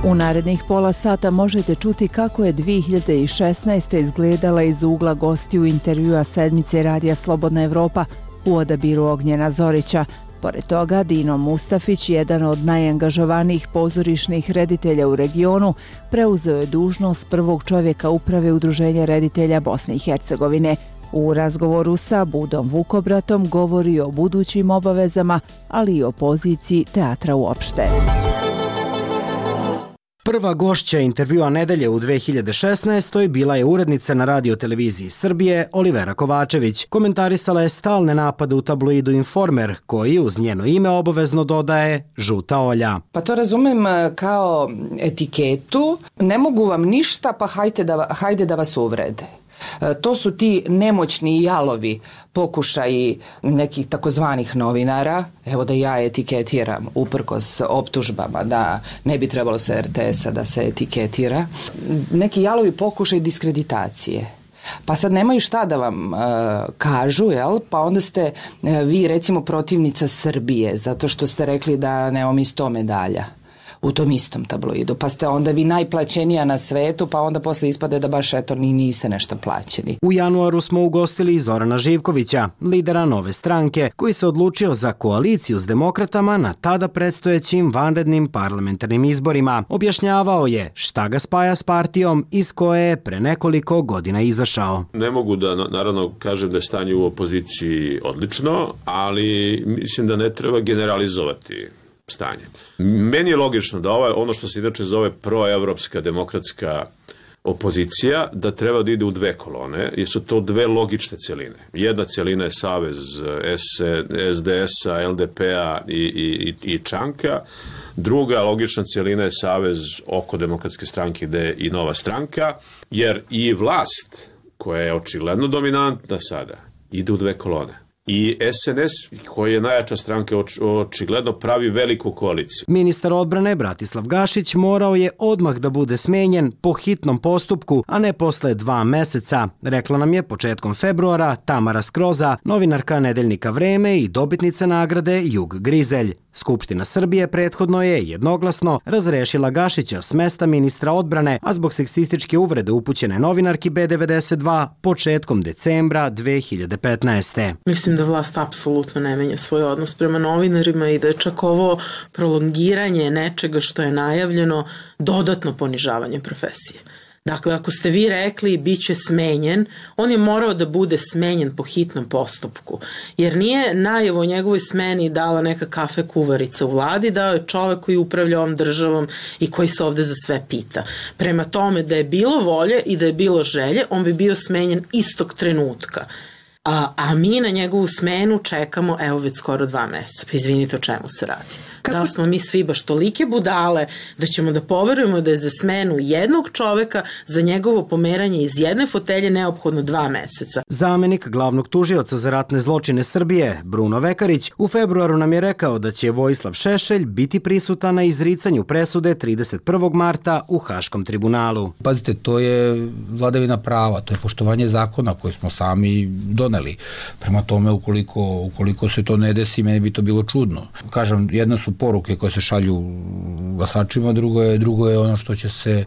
U narednih pola sata možete čuti kako je dvije hiljade šesnaeste. izgledala iz ugla gostiju intervjua sedmice Radija Slobodna Evropa u odabiru Ognjena Zorića. Pored toga, Dino Mustafić, jedan od najangažovanijih pozorišnih reditelja u regionu, preuzeo je dužnost prvog čovjeka uprave Udruženja reditelja Bosne i Hercegovine. U razgovoru sa Budom Vukobratom govori o budućim obavezama, ali i o poziciji teatra uopšte. Prva gošća intervjua nedelje u dve hiljade šesnaestoj. bila je urednica na Radio televiziji Srbije Olivera Kovačević. Komentarisala je stalne napade u tabloidu Informer, koji uz njeno ime obavezno dodaje žuta Olja. Pa to razumem kao etiketu. Ne mogu vam ništa, pa hajde da, hajde da vas uvrede. To su ti nemoćni i jalovi pokušaji nekih takozvanih novinara, evo da ja etiketiram uprkos optužbama da ne bi trebalo sa er te esa da se etiketira, neki jalovi pokušaj diskreditacije. Pa sad nemaju šta da vam uh, kažu, jel? Pa onda ste uh, vi recimo protivnica Srbije, zato što ste rekli da nemam i sto medalja u tom istom tabloidu, pa ste onda vi najplaćenija na svetu, pa onda posle ispade da baš eto ni niste nešto plaćeni. U januaru smo ugostili i Zorana Živkovića, lidera Nove stranke, koji se odlučio za koaliciju s demokratama na tada predstojećim vanrednim parlamentarnim izborima. Objašnjavao je šta ga spaja s partijom iz koje je pre nekoliko godina izašao. Ne mogu da naravno kažem da je stanje u opoziciji odlično, ali mislim da ne treba generalizovati stanje. Meni je logično da ovaj, ono što se inače zove proevropska demokratska opozicija, da treba da ide u dve kolone, jer su to dve logične celine. Jedna celina je savez es de esa, el de pe-a i, i, i Čanka, druga logična celina je savez oko demokratske stranke gde je i Nova stranka, jer i vlast, koja je očigledno dominantna sada, ide u dve kolone. I es en es, koji je najjača stranka, očigledno pravi veliku koaliciju. Ministar odbrane Bratislav Gašić morao je odmah da bude smenjen po hitnom postupku, a ne posle dva meseca, rekla nam je početkom februara Tamara Skroza, novinarka nedeljnika Vreme i dobitnica nagrade Jug Grizelj. Skupština Srbije prethodno je jednoglasno razrešila Gašića s mesta ministra odbrane, a zbog seksističke uvrede upućene novinarki be devedeset dva početkom decembra dve hiljade petnaeste. Mislim da vlast apsolutno ne menja svoj odnos prema novinarima i da je čak ovo prolongiranje nečega što je najavljeno dodatno ponižavanje profesije. Dakle, ako ste vi rekli bit će smenjen, on je morao da bude smenjen po hitnom postupku. Jer nije najavu o njegovoj smeni dala neka kafe kuvarica u vladi, dao je čovek koji upravlja ovom državom i koji se ovde za sve pita. Prema tome, da je bilo volje i da je bilo želje, on bi bio smenjen istog trenutka. A, a mi na njegovu smenu čekamo evo već skoro dva meseca. Pa izvinite, o čemu se radi? Kako? Da li smo mi svi baš tolike budale da ćemo da poverujemo da je za smenu jednog čoveka za njegovo pomeranje iz jedne fotelje neophodno dva meseca? Zamenik glavnog tužioca za ratne zločine Srbije, Bruno Vekarić, u februaru nam je rekao da će Vojislav Šešelj biti prisutan na izricanju presude trideset prvog marta u Haškom tribunalu. Pazite, to je vladavina prava, to je poštovanje zakona koje smo sami doneli. Prema tome, ukoliko, ukoliko se to ne desi, meni bi to bilo čudno. Kažem, jedna su poruke koje se šalju glasačima, drugo je, drugo je ono što će se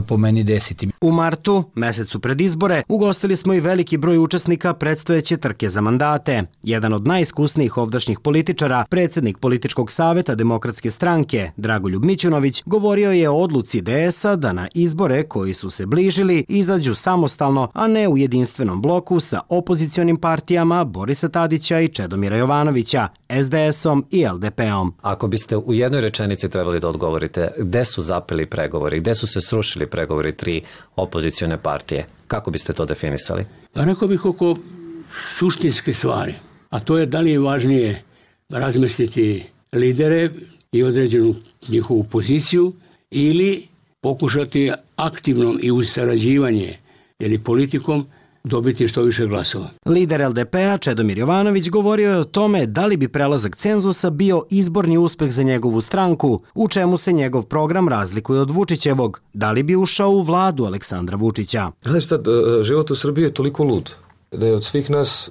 po meni desiti. U martu, mesecu pred izbore, ugostili smo i veliki broj učesnika predstojeće trke za mandate. Jedan od najiskusnijih ovdašnjih političara, predsjednik političkog saveta Demokratske stranke, Dragoljub Mićunović, govorio je o odluci D S-a da na izbore koji su se bližili izađu samostalno, a ne u jedinstvenom bloku sa opozicionim partijama Borisa Tadića i Čedomira Jovanovića, S D S-om i L D P-om. Ako biste u jednoj rečenici trebali da odgovorite gde su zapeli pregovori, gde su se srušili pregovori tri opozicione partije, kako biste to definisali? Rekao bih oko suštinske stvari, a to je da li je važnije razmisliti lidere i određenu njihovu poziciju ili pokušati aktivno i uz sarađivanje ili politikom dobiti što više glasova. Lider L D P-a Čedomir Jovanović govorio je o tome da li bi prelazak cenzusa bio izborni uspeh za njegovu stranku, u čemu se njegov program razlikuje od Vučićevog, da li bi ušao u vladu Aleksandra Vučića. Znaš šta, život u Srbiji je toliko lud da je od svih nas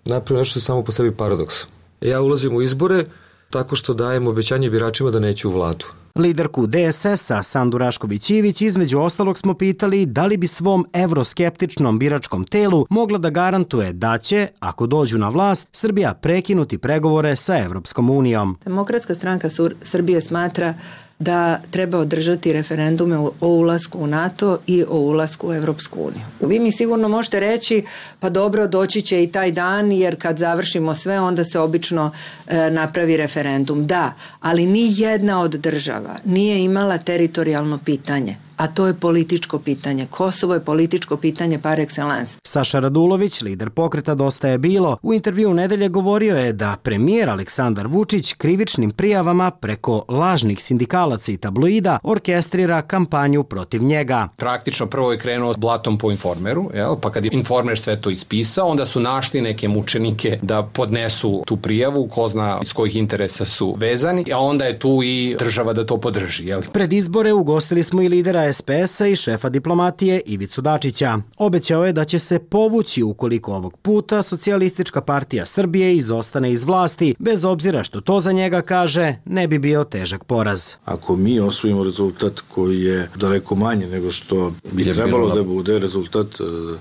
napravio nešto samo po sebi paradoks. Ja ulazim u izbore tako što dajem obećanje biračima da neću u vladu. Liderku D S S-a Sandu Rašković-Ivić između ostalog smo pitali da li bi svom evroskeptičnom biračkom telu mogla da garantuje da će, ako dođu na vlast, Srbija prekinuti pregovore sa Evropskom unijom. Demokratska stranka Srbije smatra da treba održati referendume o ulasku u NATO i o ulasku u Evropsku uniju. Vi mi sigurno možete reći, pa dobro, doći će i taj dan, jer kad završimo sve, onda se obično e, napravi referendum. Da, ali ni jedna od država nije imala teritorijalno pitanje, a to je političko pitanje. Kosovo je političko pitanje par excellence. Saša Radulović, lider pokreta Dosta je bilo, u intervju u nedelje govorio je da premijer Aleksandar Vučić krivičnim prijavama preko lažnih sindikalaca i tabloida orkestrira kampanju protiv njega. Praktično prvo je krenuo s blatom po Informeru, jel? Pa kad je Informer sve to ispisao, onda su našli neke mučenike da podnesu tu prijavu, ko zna iz kojih interesa su vezani, a onda je tu i država da to podrži. Jel? Pred izbore ugostili smo i lidera S P S-a i šefa diplomatije Ivicu Dačića. Obećao je da će se povući ukoliko ovog puta Socijalistička partija Srbije izostane iz vlasti, bez obzira što to za njega, kaže, ne bi bio težak poraz. Ako mi osvojimo rezultat koji je daleko manje nego što bi trebalo da bude rezultat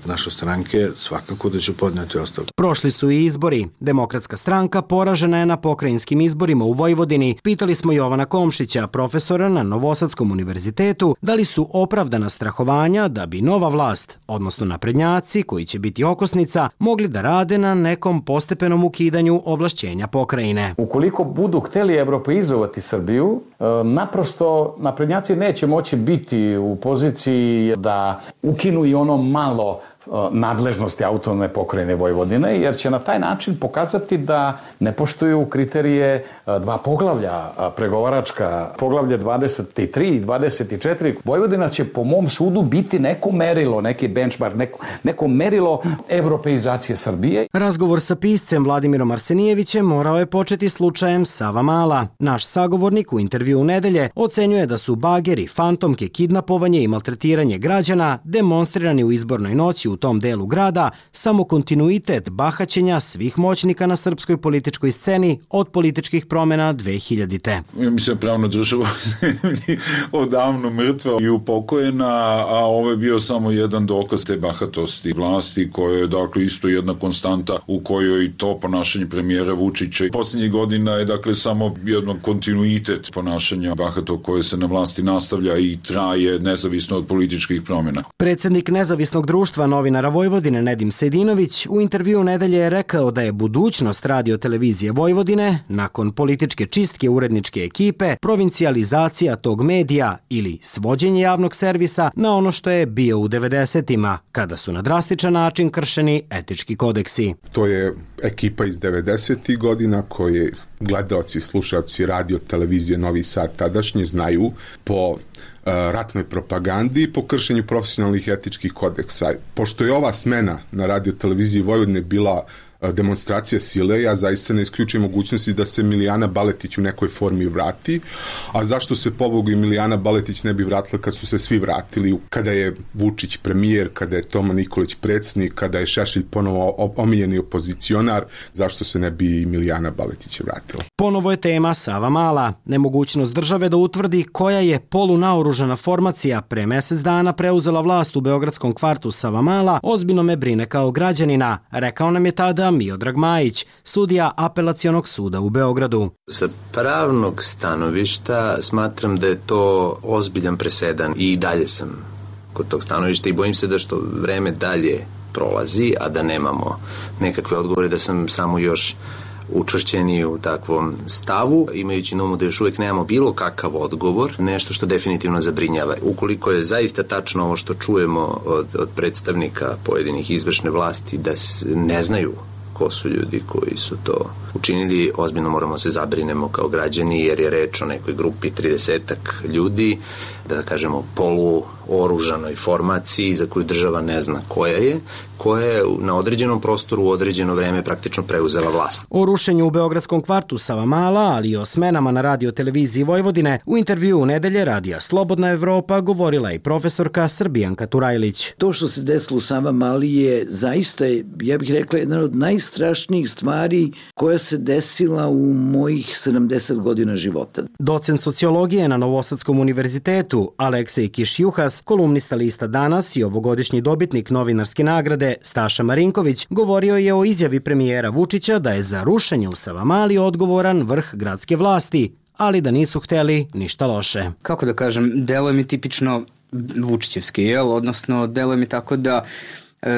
naše stranke, svakako da će podneti ostavku. Prošli su i izbori. Demokratska stranka poražena je na pokrajinskim izborima u Vojvodini. Pitali smo Jovana Komšića, profesora na Novosadskom univerzitetu, da li su opravdana strahovanja da bi nova vlast, odnosno naprednjaci koji će biti okosnica, mogli da rade na nekom postepenom ukidanju ovlašćenja pokrajine. Ukoliko budu hteli evropeizovati Srbiju, naprosto naprednjaci neće moći biti u poziciji da ukinu i ono malo nadležnosti autonomne pokrajine Vojvodine, jer će na taj način pokazati da ne poštuju kriterije dva poglavlja pregovaračka, poglavlje dvadeset tri i dvadeset četiri. Vojvodina će po mom sudu biti neko merilo, neki benchmark, neko, neko merilo evropeizacije Srbije. Razgovor sa piscem Vladimirom Arsenijevićem morao je početi slučajem Savamala. Naš sagovornik u intervju u nedelje ocenjuje da su bageri, fantomke, kidnapovanje i maltretiranje građana demonstrirani u izbornoj noći u tom delu grada samo kontinuitet bahaćenja svih moćnika na srpskoj političkoj sceni od političkih promjena dve hiljadite. Ja mislim, pravna država u zemlji odavno mrtva i upokojena, a ovo je bio samo jedan dokaz te bahatosti vlasti, koja je dakle isto jedna konstanta u kojoj i to ponašanje premijera Vučića i posljednjih godina je dakle samo jedan kontinuitet ponašanja bahatog koje se na vlasti nastavlja i traje nezavisno od političkih promjena. Predsjednik Nezavisnog društva novinara Vojvodine Nedim Sejdinović u intervju nedelje je rekao da je budućnost radio televizije Vojvodine nakon političke čistke uredničke ekipe provincijalizacija tog medija ili svođenje javnog servisa na ono što je bio u devedesetima, kada su na drastičan način kršeni etički kodeksi. To je ekipa iz devedesetih godina koje gledaoci, slušaoci radio televizije Novi Sad tadašnje znaju po ratnoj propagandi i po kršenju profesionalnih etičkih kodeksa. Pošto je ova smena na radio televiziji Vojvodine bila demonstracija sile, ja zaista ne isključujem mogućnosti da se Milijana Baletić u nekoj formi vrati, a zašto se pobogu i Milijana Baletić ne bi vratila kad su se svi vratili, kada je Vučić premijer, kada je Toma Nikolić predsjednik, kada je Šešelj ponovo omiljeni opozicionar, zašto se ne bi i Milijana Baletić vratila? Ponovo je tema Savamala. Nemogućnost države da utvrdi koja je polunaoružana formacija pre mesec dana preuzela vlast u beogradskom kvartu Savamala ozbiljno me brine kao građanina, rekao nam je tada Miodrag Majić, sudija Apelacionog suda u Beogradu. Sa pravnog stanovišta smatram da je to ozbiljan presedan i dalje sam kod tog stanovišta i bojim se da što vreme dalje prolazi, a da nemamo nekakve odgovore, da sam samo još učvršćeni u takvom stavu, imajući na umu da još uvijek nemamo bilo kakav odgovor, nešto što definitivno zabrinjava. Ukoliko je zaista tačno ovo što čujemo od, od predstavnika pojedinih izvršne vlasti da ne znaju ko su ljudi koji su to učinili, ozbiljno moramo se zabrinemo kao građani, jer je reč o nekoj grupi tridesetak ljudi, da kažemo poluoružanoj formaciji za koju država ne zna koja je, koja je na određenom prostoru u određeno vreme praktično preuzela vlast. O rušenju u beogradskom kvartu Savamala, ali i o smenama na radio televiziji Vojvodine, u intervju u nedelje radija Slobodna Evropa govorila i profesorka Srbijanka Turajlić. To što se desilo u Savamali je zaista, ja bih rekla, jedna od najstrašnijih stvari koja se desila u mojih sedamdeset godina života. Docent sociologije na Novosadskom univerzitetu Aleksej Kišjuhas, kolumnista lista Danas i ovogodišnji dobitnik novinarske nagrade Staša Marinković, govorio je o izjavi premijera Vučića da je za rušenje u Savamali odgovoran vrh gradske vlasti, ali da nisu hteli ništa loše. Kako da kažem, delo je mi tipično vučićevski, jel? Odnosno, delo je mi tako da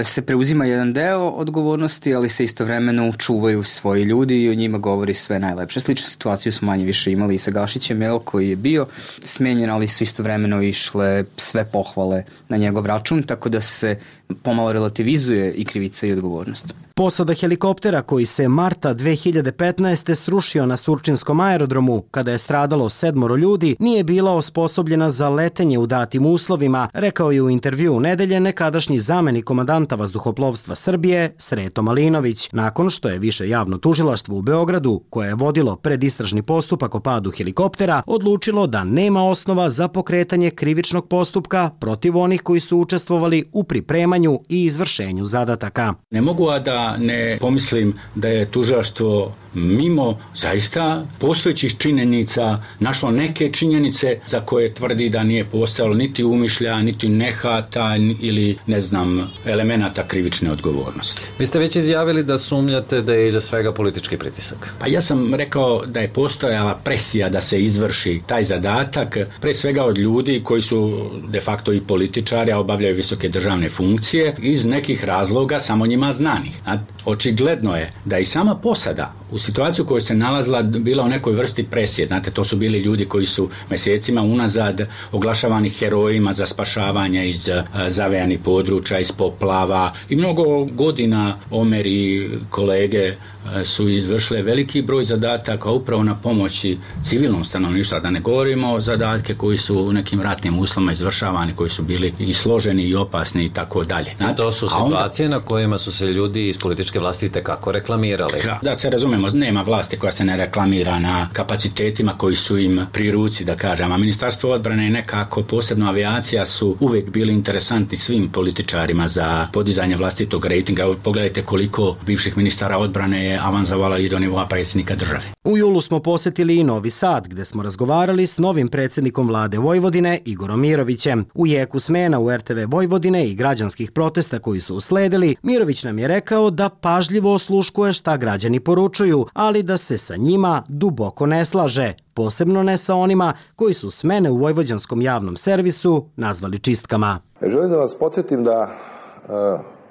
se preuzima jedan deo odgovornosti, ali se istovremeno čuvaju svoji ljudi i o njima govori sve najlepše. Sličnu situaciju smo manje više imali i sa Gašićem, jel, koji je bio smenjen, ali su istovremeno išle sve pohvale na njegov račun, tako da se pomalo relativizuje i krivica i odgovornost. Posada helikoptera koji se marta dve hiljade petnaeste. srušio na Surčinskom aerodromu kada je stradalo sedmoro ljudi nije bila osposobljena za letenje u datim uslovima, rekao je u intervju u nedelje nekadašnji zamenik komandanta vazduhoplovstva Srbije Sreto Malinović, nakon što je više javno tužilaštvo u Beogradu, koje je vodilo predistražni postupak o padu helikoptera, odlučilo da nema osnova za pokretanje krivičnog postupka protiv onih koji su učestvovali u pripremanju i izvršenju zadataka. Ne mogu a da ne pomislim da je tužilaštvo mimo zaista postojećih činjenica našlo neke činjenice za koje tvrdi da nije postojalo niti umišlja, niti nehata ili ne znam elemenata krivične odgovornosti. Vi ste već izjavili da sumnjate da je iza svega politički pritisak. Pa ja sam rekao da je postojala presija da se izvrši taj zadatak, pre svega od ljudi koji su de facto i političari, a obavljaju visoke državne funkcije iz nekih razloga samo njima znanih. Očigledno je da i sama posada u situaciju u kojoj se nalazila bila u nekoj vrsti presije. Znate, to su bili ljudi koji su mjesecima unazad oglašavani herojima za spašavanje iz zavejanih područja, iz poplava i mnogo godina Omer i kolege su izvršile veliki broj zadataka upravo na pomoći civilnom stanovništvu, da ne govorimo o zadatke koji su u nekim ratnim uslovima izvršavani, koji su bili i složeni i opasni i tako dalje. To su situacije onda na kojima su se ljudi iz političke vlasti itekako reklamirali. Da se razumemo, nema vlasti koja se ne reklamira na kapacitetima koji su im pri ruci, da kažem, a Ministarstvo odbrane i nekako posebno avijacija su uvijek bili interesantni svim političarima za podizanje vlastitog rejtinga. Pogledajte koliko bivših ministara odbrane je avanzovala i do nivoa predsjednika države. U julu smo posjetili i Novi Sad, gde smo razgovarali s novim predsjednikom vlade Vojvodine, Igorom Mirovićem. U jeku smena u er te ve Vojvodine i građanskih protesta koji su usledili, Mirović nam je rekao da pažljivo osluškuje šta građani poručuju, ali da se sa njima duboko ne slaže, posebno ne sa onima koji su smene u vojvođanskom javnom servisu nazvali čistkama. Želim da vas podsjetim da e,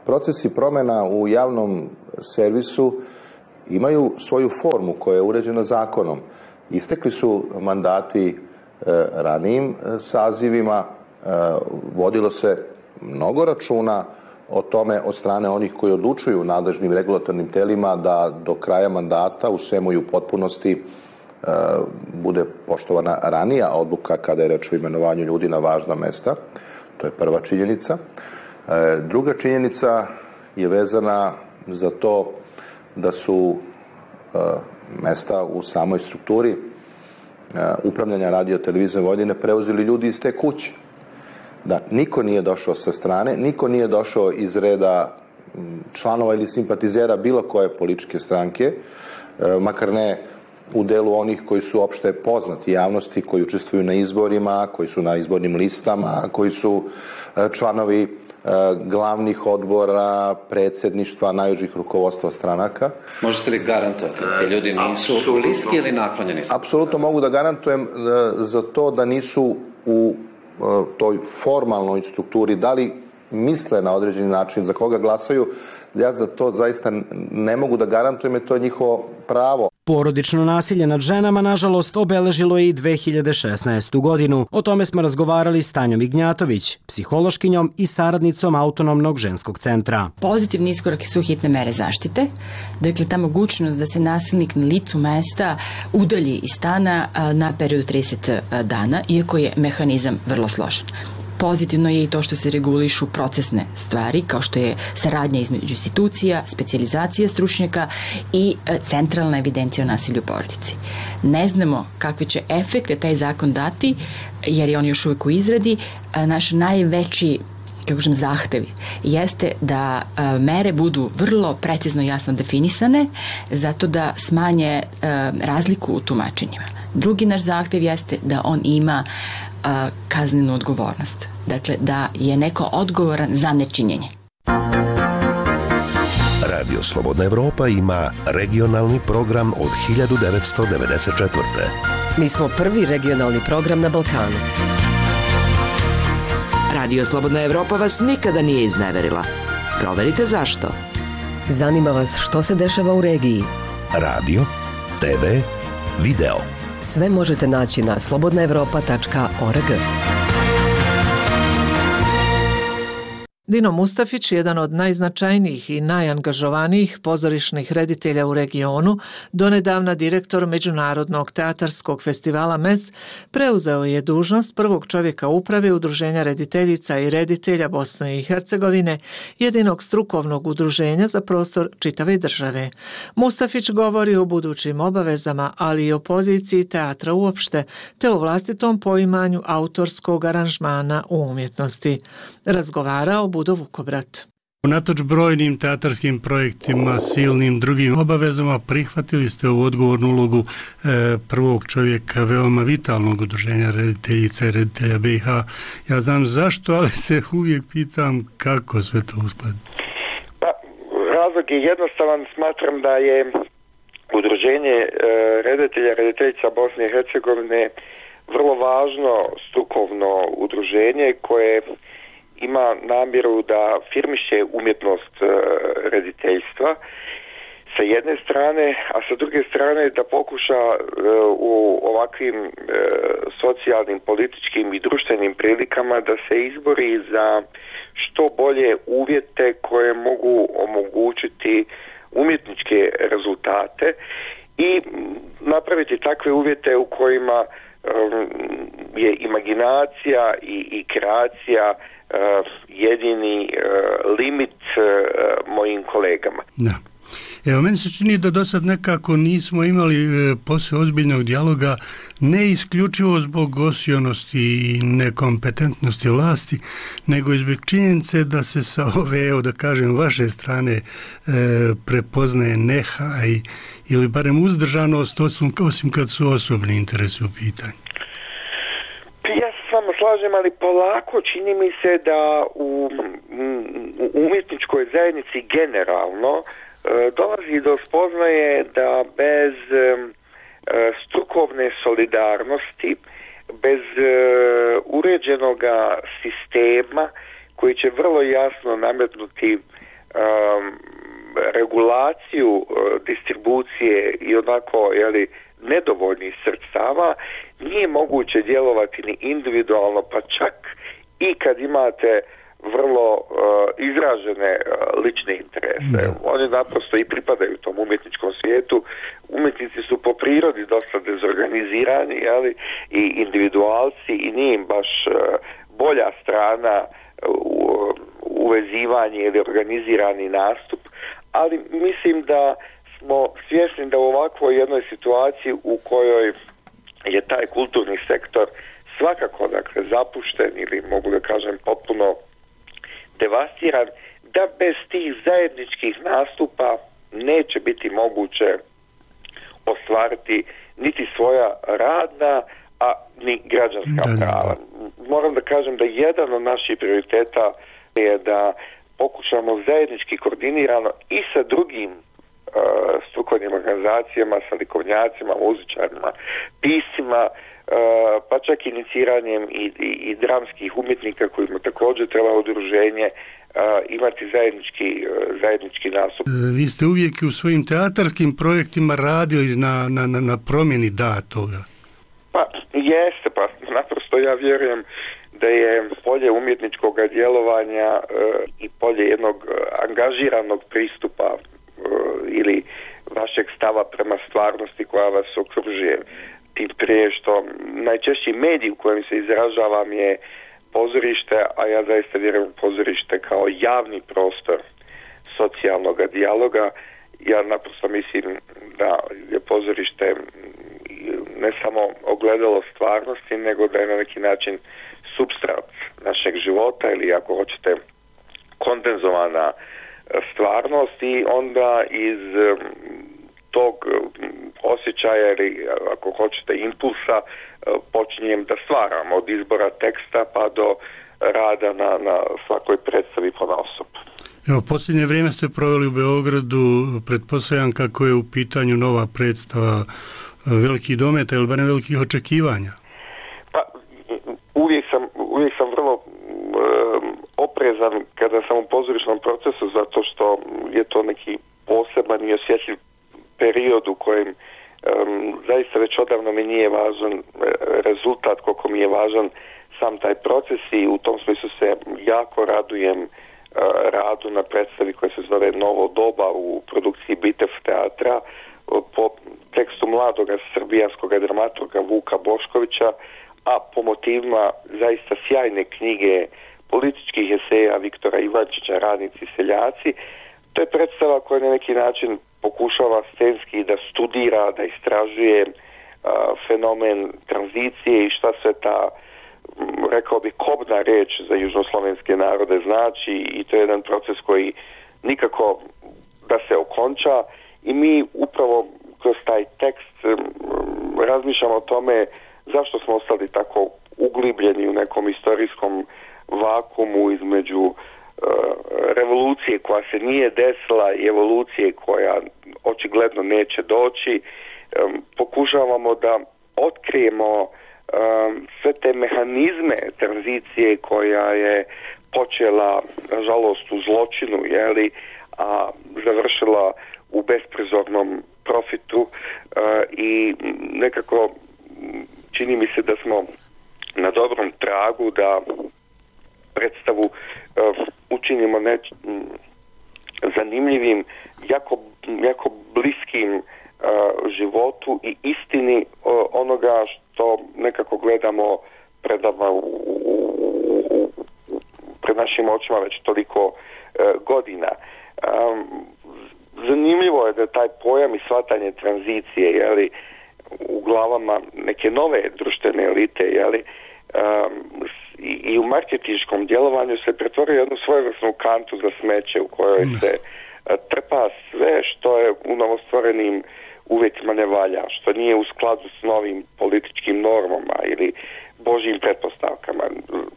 procesi promjena u javnom servisu imaju svoju formu koja je uređena zakonom. Istekli su mandati e, ranijim sazivima, e, vodilo se mnogo računa o tome od strane onih koji odlučuju nadležnim regulatornim telima da do kraja mandata u svemu i u potpunosti e, bude poštovana ranija odluka kada je reč o imenovanju ljudi na važna mesta. To je prva činjenica. E, druga činjenica je vezana za to da su uh, mesta u samoj strukturi uh, upravljanja radio televizije Vojvodine preuzeli ljudi iz te kuće. Da niko nije došao sa strane, niko nije došao iz reda članova ili simpatizera bilo koje političke stranke, uh, makar ne u delu onih koji su opšte poznati javnosti, koji učestvuju na izborima, koji su na izbornim listama, koji su uh, članovi uh, glavnih odbora, predsjedništva, najužih rukovodstva stranaka. Možete li garantovati da ti ljudi nisu Apsolutno. bliski ili naklonjeni? Apsolutno mogu da garantujem uh, za to da nisu u uh, toj formalnoj strukturi, da li misle na određeni način za koga glasaju, ja za to zaista ne mogu da garantujem, jer to je njihovo pravo. Porodično nasilje nad ženama, nažalost, obeležilo je i dve hiljade šesnaestu godinu. O tome smo razgovarali s Tanjom Ignjatović, psihološkinjom i saradnicom Autonomnog ženskog centra. Pozitivni iskorak su hitne mere zaštite. Dakle, ta mogućnost da se nasilnik na licu mesta udalji iz stana na period trideset dana, iako je mehanizam vrlo složen. Pozitivno je i to što se regulišu procesne stvari, kao što je saradnja između institucija, specijalizacija stručnjaka i centralna evidencija o nasilju u porodici. Ne znamo kakve će efekte taj zakon dati, jer je on još uvijek u izradi. Naš najveći kako kažem, zahtevi jeste da a, mere budu vrlo precizno i jasno definisane, zato da smanje a, razliku u tumačenjima. Drugi naš zahtev jeste da on ima a, kaznenu odgovornost. Dakle, da je neko odgovoran za nečinjenje. Radio Slobodna Evropa ima regionalni program od hiljadu devetsto devedeset četvrte. Mi smo prvi regionalni program na Balkanu. Radio Slobodna Evropa vas nikada nije izneverila. Proverite zašto. Zanima vas što se dešava u regiji. Radio, te ve, video. Sve možete naći na slobodna evropa tačka org. Dino Mustafić, jedan od najznačajnijih i najangažovanijih pozorišnih reditelja u regionu, donedavna direktor Međunarodnog teatarskog festivala M E S, preuzeo je dužnost prvog čovjeka uprave Udruženja rediteljica i reditelja Bosne i Hercegovine, jedinog strukovnog udruženja za prostor čitave države. Mustafić govori o budućim obavezama, ali i o poziciji teatra uopšte, te o vlastitom poimanju autorskog aranžmana u umjetnosti. Razgovarao Budo Vukobrat. Unatoč brojnim teatarskim projektima, silnim drugim obavezama, prihvatili ste ovu odgovornu ulogu e, prvog čovjeka veoma vitalnog udruženja rediteljica i reditelja B i H. Ja znam zašto, ali se uvijek pitam kako sve to uskladiti. Pa, razlog je jednostavan. Smatram da je udruženje e, reditelja rediteljica Bosne i Hercegovine vrlo važno strukovno udruženje koje ima namjeru da firmiše umjetnost e, rediteljstva sa jedne strane, a sa druge strane da pokuša e, u ovakvim e, socijalnim, političkim i društvenim prilikama da se izbori za što bolje uvjete koje mogu omogućiti umjetničke rezultate i napraviti takve uvjete u kojima e, je imaginacija i, i kreacija Uh, jedini uh, limit uh, mojim kolegama. Da. Evo, meni se čini da do sad nekako nismo imali e, posle ozbiljnog dijaloga, ne isključivo zbog osionosti i nekompetentnosti vlasti, nego i zbog činjenice da se sa ove, evo da kažem, vaše strane e, prepoznaje nehaj ili barem uzdržanost, osim, osim kad su osobni interesi u pitanju. Ja se s vama slažem, ali polako čini mi se da u, u umjetničkoj zajednici generalno e, dolazi do spoznaje da bez e, strukovne solidarnosti, bez e, uređenog sistema koji će vrlo jasno nametnuti e, regulaciju e, distribucije i onako, jeli, nedovoljnih sredstava, nije moguće djelovati ni individualno, pa čak i kad imate vrlo uh, izražene uh, lične interese. Da. Oni naprosto i pripadaju tom umjetničkom svijetu. Umjetnici su po prirodi dosta dezorganizirani, ali i individualci, i nije im baš uh, bolja strana uh, uvezivanje ili organizirani nastup, ali mislim da smo svjesni da u ovakvoj jednoj situaciji u kojoj je taj kulturni sektor svakako, dakle, zapušten ili mogu da kažem potpuno devastiran, da bez tih zajedničkih nastupa neće biti moguće ostvariti niti svoja radna, a ni građanska da, prava. Moram da kažem da jedan od naših prioriteta je da pokušamo zajednički koordinirano i sa drugim uh, strukovnim organizacijama, sa likovnjacima, muzičarima, piscima, uh, pa čak iniciranjem i, i, i dramskih umjetnika kojima također treba udruženje, uh, imati zajednički, uh, zajednički nastup. Vi ste uvijek u svojim teatarskim projektima radili na, na, na, na promjeni da toga. Pa jeste, pa naprosto ja vjerujem da je polje umjetničkog djelovanja e, i polje jednog angažiranog pristupa e, ili vašeg stava prema stvarnosti koja vas okružuje. Tim prije što najčešći medij u kojem se izražavam je pozorište, a ja zaista vjerujem u pozorište kao javni prostor socijalnog dijaloga. Ja naprosto mislim da je pozorište ne samo ogledalo stvarnosti, nego da je na neki način supstrat našeg života ili ako hoćete kondenzovana stvarnost i onda iz tog osjećaja ili ako hoćete impulsa počinjem da stvaram od izbora teksta pa do rada na, na svakoj predstavi ponaosob. Evo, posljednje vrijeme ste proveli u Beogradu, pretpostavljam kako je u pitanju nova predstava velikih dometa ili barem velikih očekivanja. Pa, uvijek sam, uvijek sam vrlo um, oprezan kada sam u pozorišnom procesu zato što je to neki poseban i osjetljiv period u kojem um, zaista već odavno mi nije važan rezultat koliko mi je važan sam taj proces i u tom smislu se jako radujem uh, radu na predstavi koja se zove Novo doba u produkciji Bitev teatra po tekstu mladog srbijanskog dramaturga Vuka Boškovića, a po motivima zaista sjajne knjige političkih eseja Viktora Ivančića Radnici seljaci. To je predstava koja na neki način pokušava scenski da studira, da istražuje uh, fenomen tranzicije i šta sve ta, rekao bih, kobna reč za južnoslovenske narode znači i to je jedan proces koji nikako da se okonča i mi upravo kroz taj tekst um, razmišljamo o tome zašto smo ostali tako uglibljeni u nekom istorijskom vakumu između uh, revolucije koja se nije desila i evolucije koja očigledno neće doći. Um, pokušavamo da otkrijemo um, sve te mehanizme tranzicije koja je počela, nažalost, u zločinu, jeli, a završila u besprizornom profitu uh, i nekako čini mi se da smo na dobrom tragu da predstavu uh, učinimo neč, m, zanimljivim, jako, jako bliskim uh, životu i istini uh, onoga što nekako gledamo pred, nama, u, u, u, pred našim očima već toliko uh, godina. Um, zanimljivo je da taj pojam i shvatanje tranzicije, jeli, u glavama neke nove društvene elite, jeli, um, i, i u marketinškom djelovanju se pretvorio jednu svojevrsnu kantu za smeće u kojoj se uh, trpa sve što je u novostvorenim uvjetima ne valja, što nije u skladu s novim političkim normama ili božjim pretpostavkama.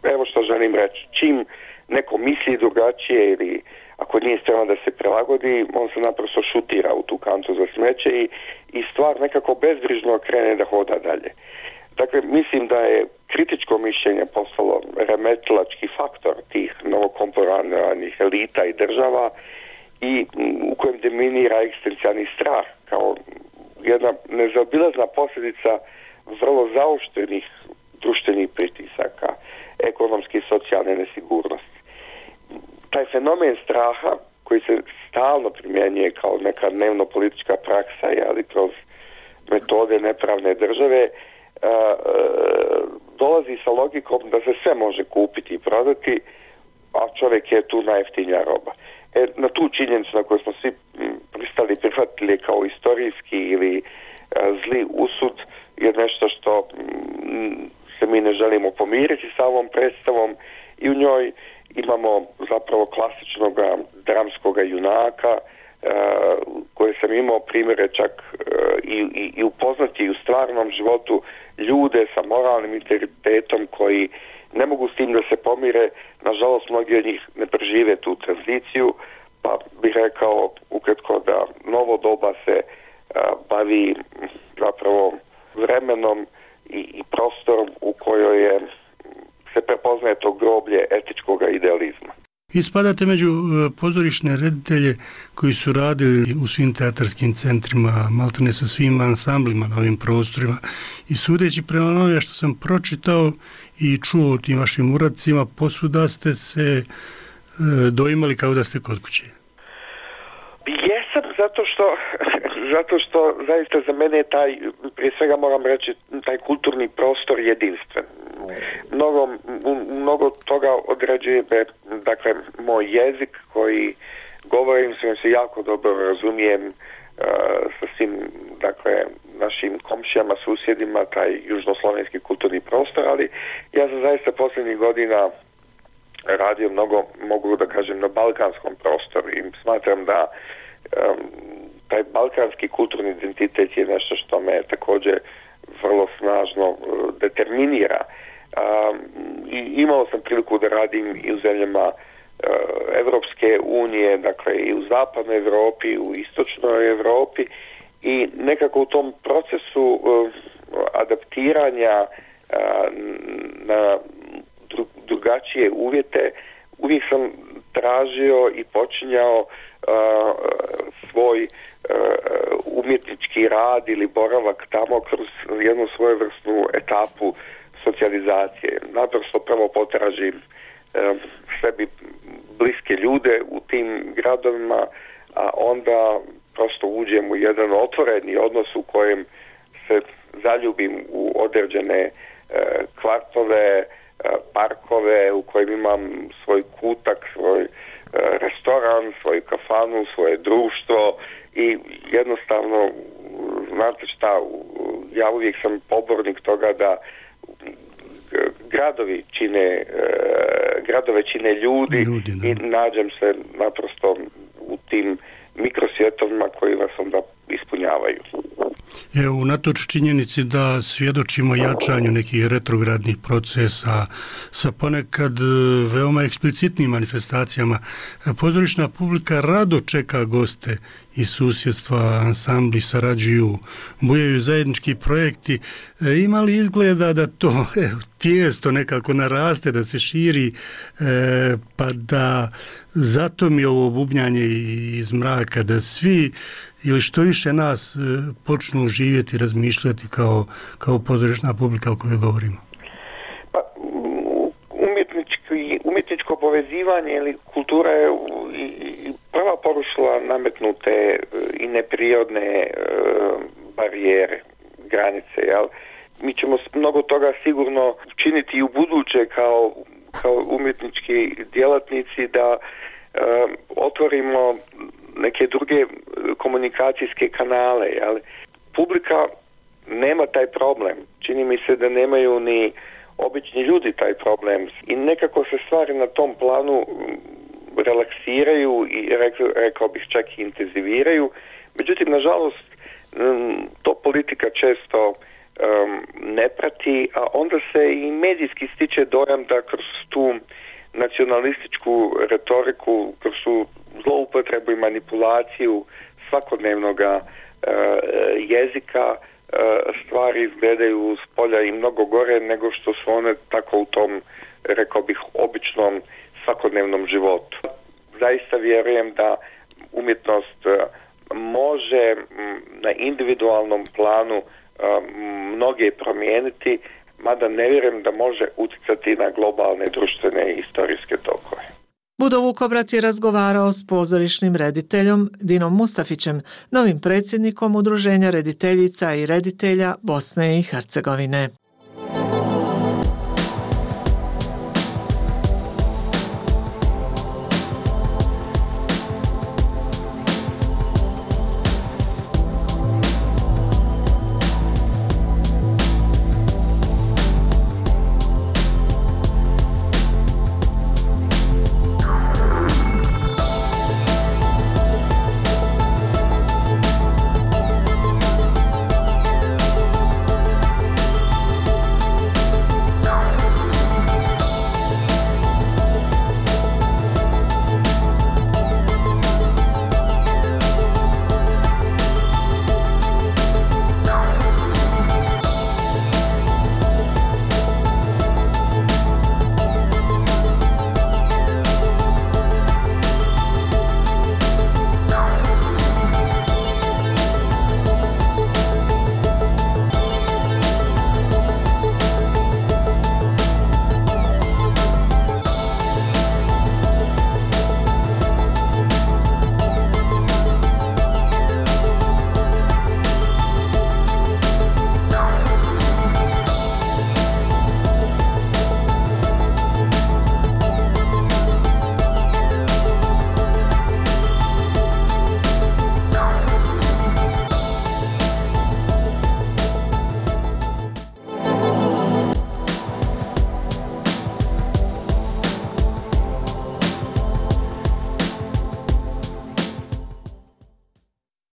Evo što želim reći, čim neko misli drugačije ili ako nije spreman da se prilagodi, on se naprosto šutira u tu kantu za smeće i, i stvar nekako bezbrižno krene da hoda dalje. Dakle, mislim da je kritičko mišljenje postalo remetilački faktor tih novokomponiranih elita i država i u kojem dominira egzistencijalni strah kao jedna nezaobilazna posljedica vrlo zaoštrenih društvenih pritisaka, ekonomske i socijalne nesigurnosti. Taj fenomen straha koji se stalno primjenjuje kao neka dnevno politička praksa, ali kroz metode nepravne države, a, a, dolazi sa logikom da se sve može kupiti i prodati, a čovjek je tu najjeftinija roba. E, na tu činjenicu na koju smo svi pristali prihvatiti reditelje kao istorijski ili zli usud je nešto što se mi ne želimo pomiriti sa ovom predstavom i u njoj imamo zapravo klasičnog dramskog junaka koje sam imao primjere čak i, i, i upoznati u stvarnom životu ljude sa moralnim integritetom koji ne mogu s tim da se pomire. Nažalost, mnogi od njih ne prežive tu tranziciju, pa bih rekao ukratko da novo doba se bavi zapravo vremenom i, i prostorom u kojoj je, se prepoznaje to groblje etičkog idealizma. Ispadate među pozorišne reditelje koji su radili u svim teatarskim centrima, maltene sa svim ansamblima na ovim prostorima i sudeći prema onome što sam pročitao i čuo o tim vašim uradcima, posvuda ste se doimali kao da ste kod kuće. Jesam, zato što, zato što zaista za mene je taj, prije svega moram reći, taj kulturni prostor jedinstven. Mnogo, mnogo toga određuje, dakle, moj jezik koji govorim, s njim se jako dobro razumijem uh, sa svim, dakle, našim komšijama, susjedima, taj južnoslovenski kulturni prostor, ali ja sam zaista posljednjih godina radio mnogo, mogu da kažem, na balkanskom prostoru i smatram da um, taj balkanski kulturni identitet je nešto što me također vrlo snažno uh, determinira. Um, i imao sam priliku da radim i u zemljama uh, Evropske unije, dakle i u zapadnoj Europi, u istočnoj Europi i nekako u tom procesu uh, adaptiranja uh, na dru, drugačije uvjete uvijek sam tražio i počinjao uh, svoj uh, umjetnički rad ili boravak tamo kroz jednu svojevrsnu etapu socijalizacije. Naprosto prvo potražim um, sebi bliske ljude u tim gradovima, a onda prosto uđem u jedan otvoreni odnos u kojem se zaljubim u određene uh, kvartove, uh, parkove u kojem imam svoj kutak, svoj uh, restoran, svoju kafanu, svoje društvo i jednostavno, znate šta, ja uvijek sam pobornik toga da gradovi čine, gradove čine ljudi, ljudi i nađem se naprosto u tim mikrosvjetovima koji vas onda ispunjavaju. Evo, unatoč činjenici da svjedočimo jačanju nekih retrogradnih procesa sa ponekad veoma eksplicitnim manifestacijama, pozorišna publika rado čeka goste iz susjedstva, ansambli sarađuju, bujaju zajednički projekti. Ima li izgleda da to evo, tijesto nekako naraste, da se širi, e, pa da zato mi ovo bubnjanje iz mraka, da svi ili što više nas počnu živjeti, razmišljati kao, kao pozorišna publika o kojoj govorimo? Pa, umjetnički, umjetničko povezivanje ili kultura je i prva porušila nametnute i neprirodne uh, barijere, granice, jel? Mi ćemo mnogo toga sigurno činiti i u buduće kao, kao umjetnički djelatnici da uh, otvorimo neke druge komunikacijske kanale, jel? Publika nema taj problem. Čini mi se da nemaju ni obični ljudi taj problem i nekako se stvari na tom planu relaksiraju i rekao, rekao bih čak i intenziviraju. Međutim, nažalost, to politika često um, ne prati, a onda se i medijski stiče dojam da kroz tu nacionalističku retoriku, kroz tu zloupotrebu i manipulaciju svakodnevnog uh, jezika uh, stvari izgledaju s polja i mnogo gore nego što su one tako u tom, rekao bih, običnom svakodnevnom životu. Zaista vjerujem da umjetnost uh, može m, na individualnom planu uh, mnoge promijeniti, mada ne vjerujem da može utjecati na globalne društvene i historijske tokove. Budo Vukobrat je razgovarao s pozorišnim rediteljom Dinom Mustafićem, novim predsjednikom Udruženja rediteljica i reditelja Bosne i Hercegovine.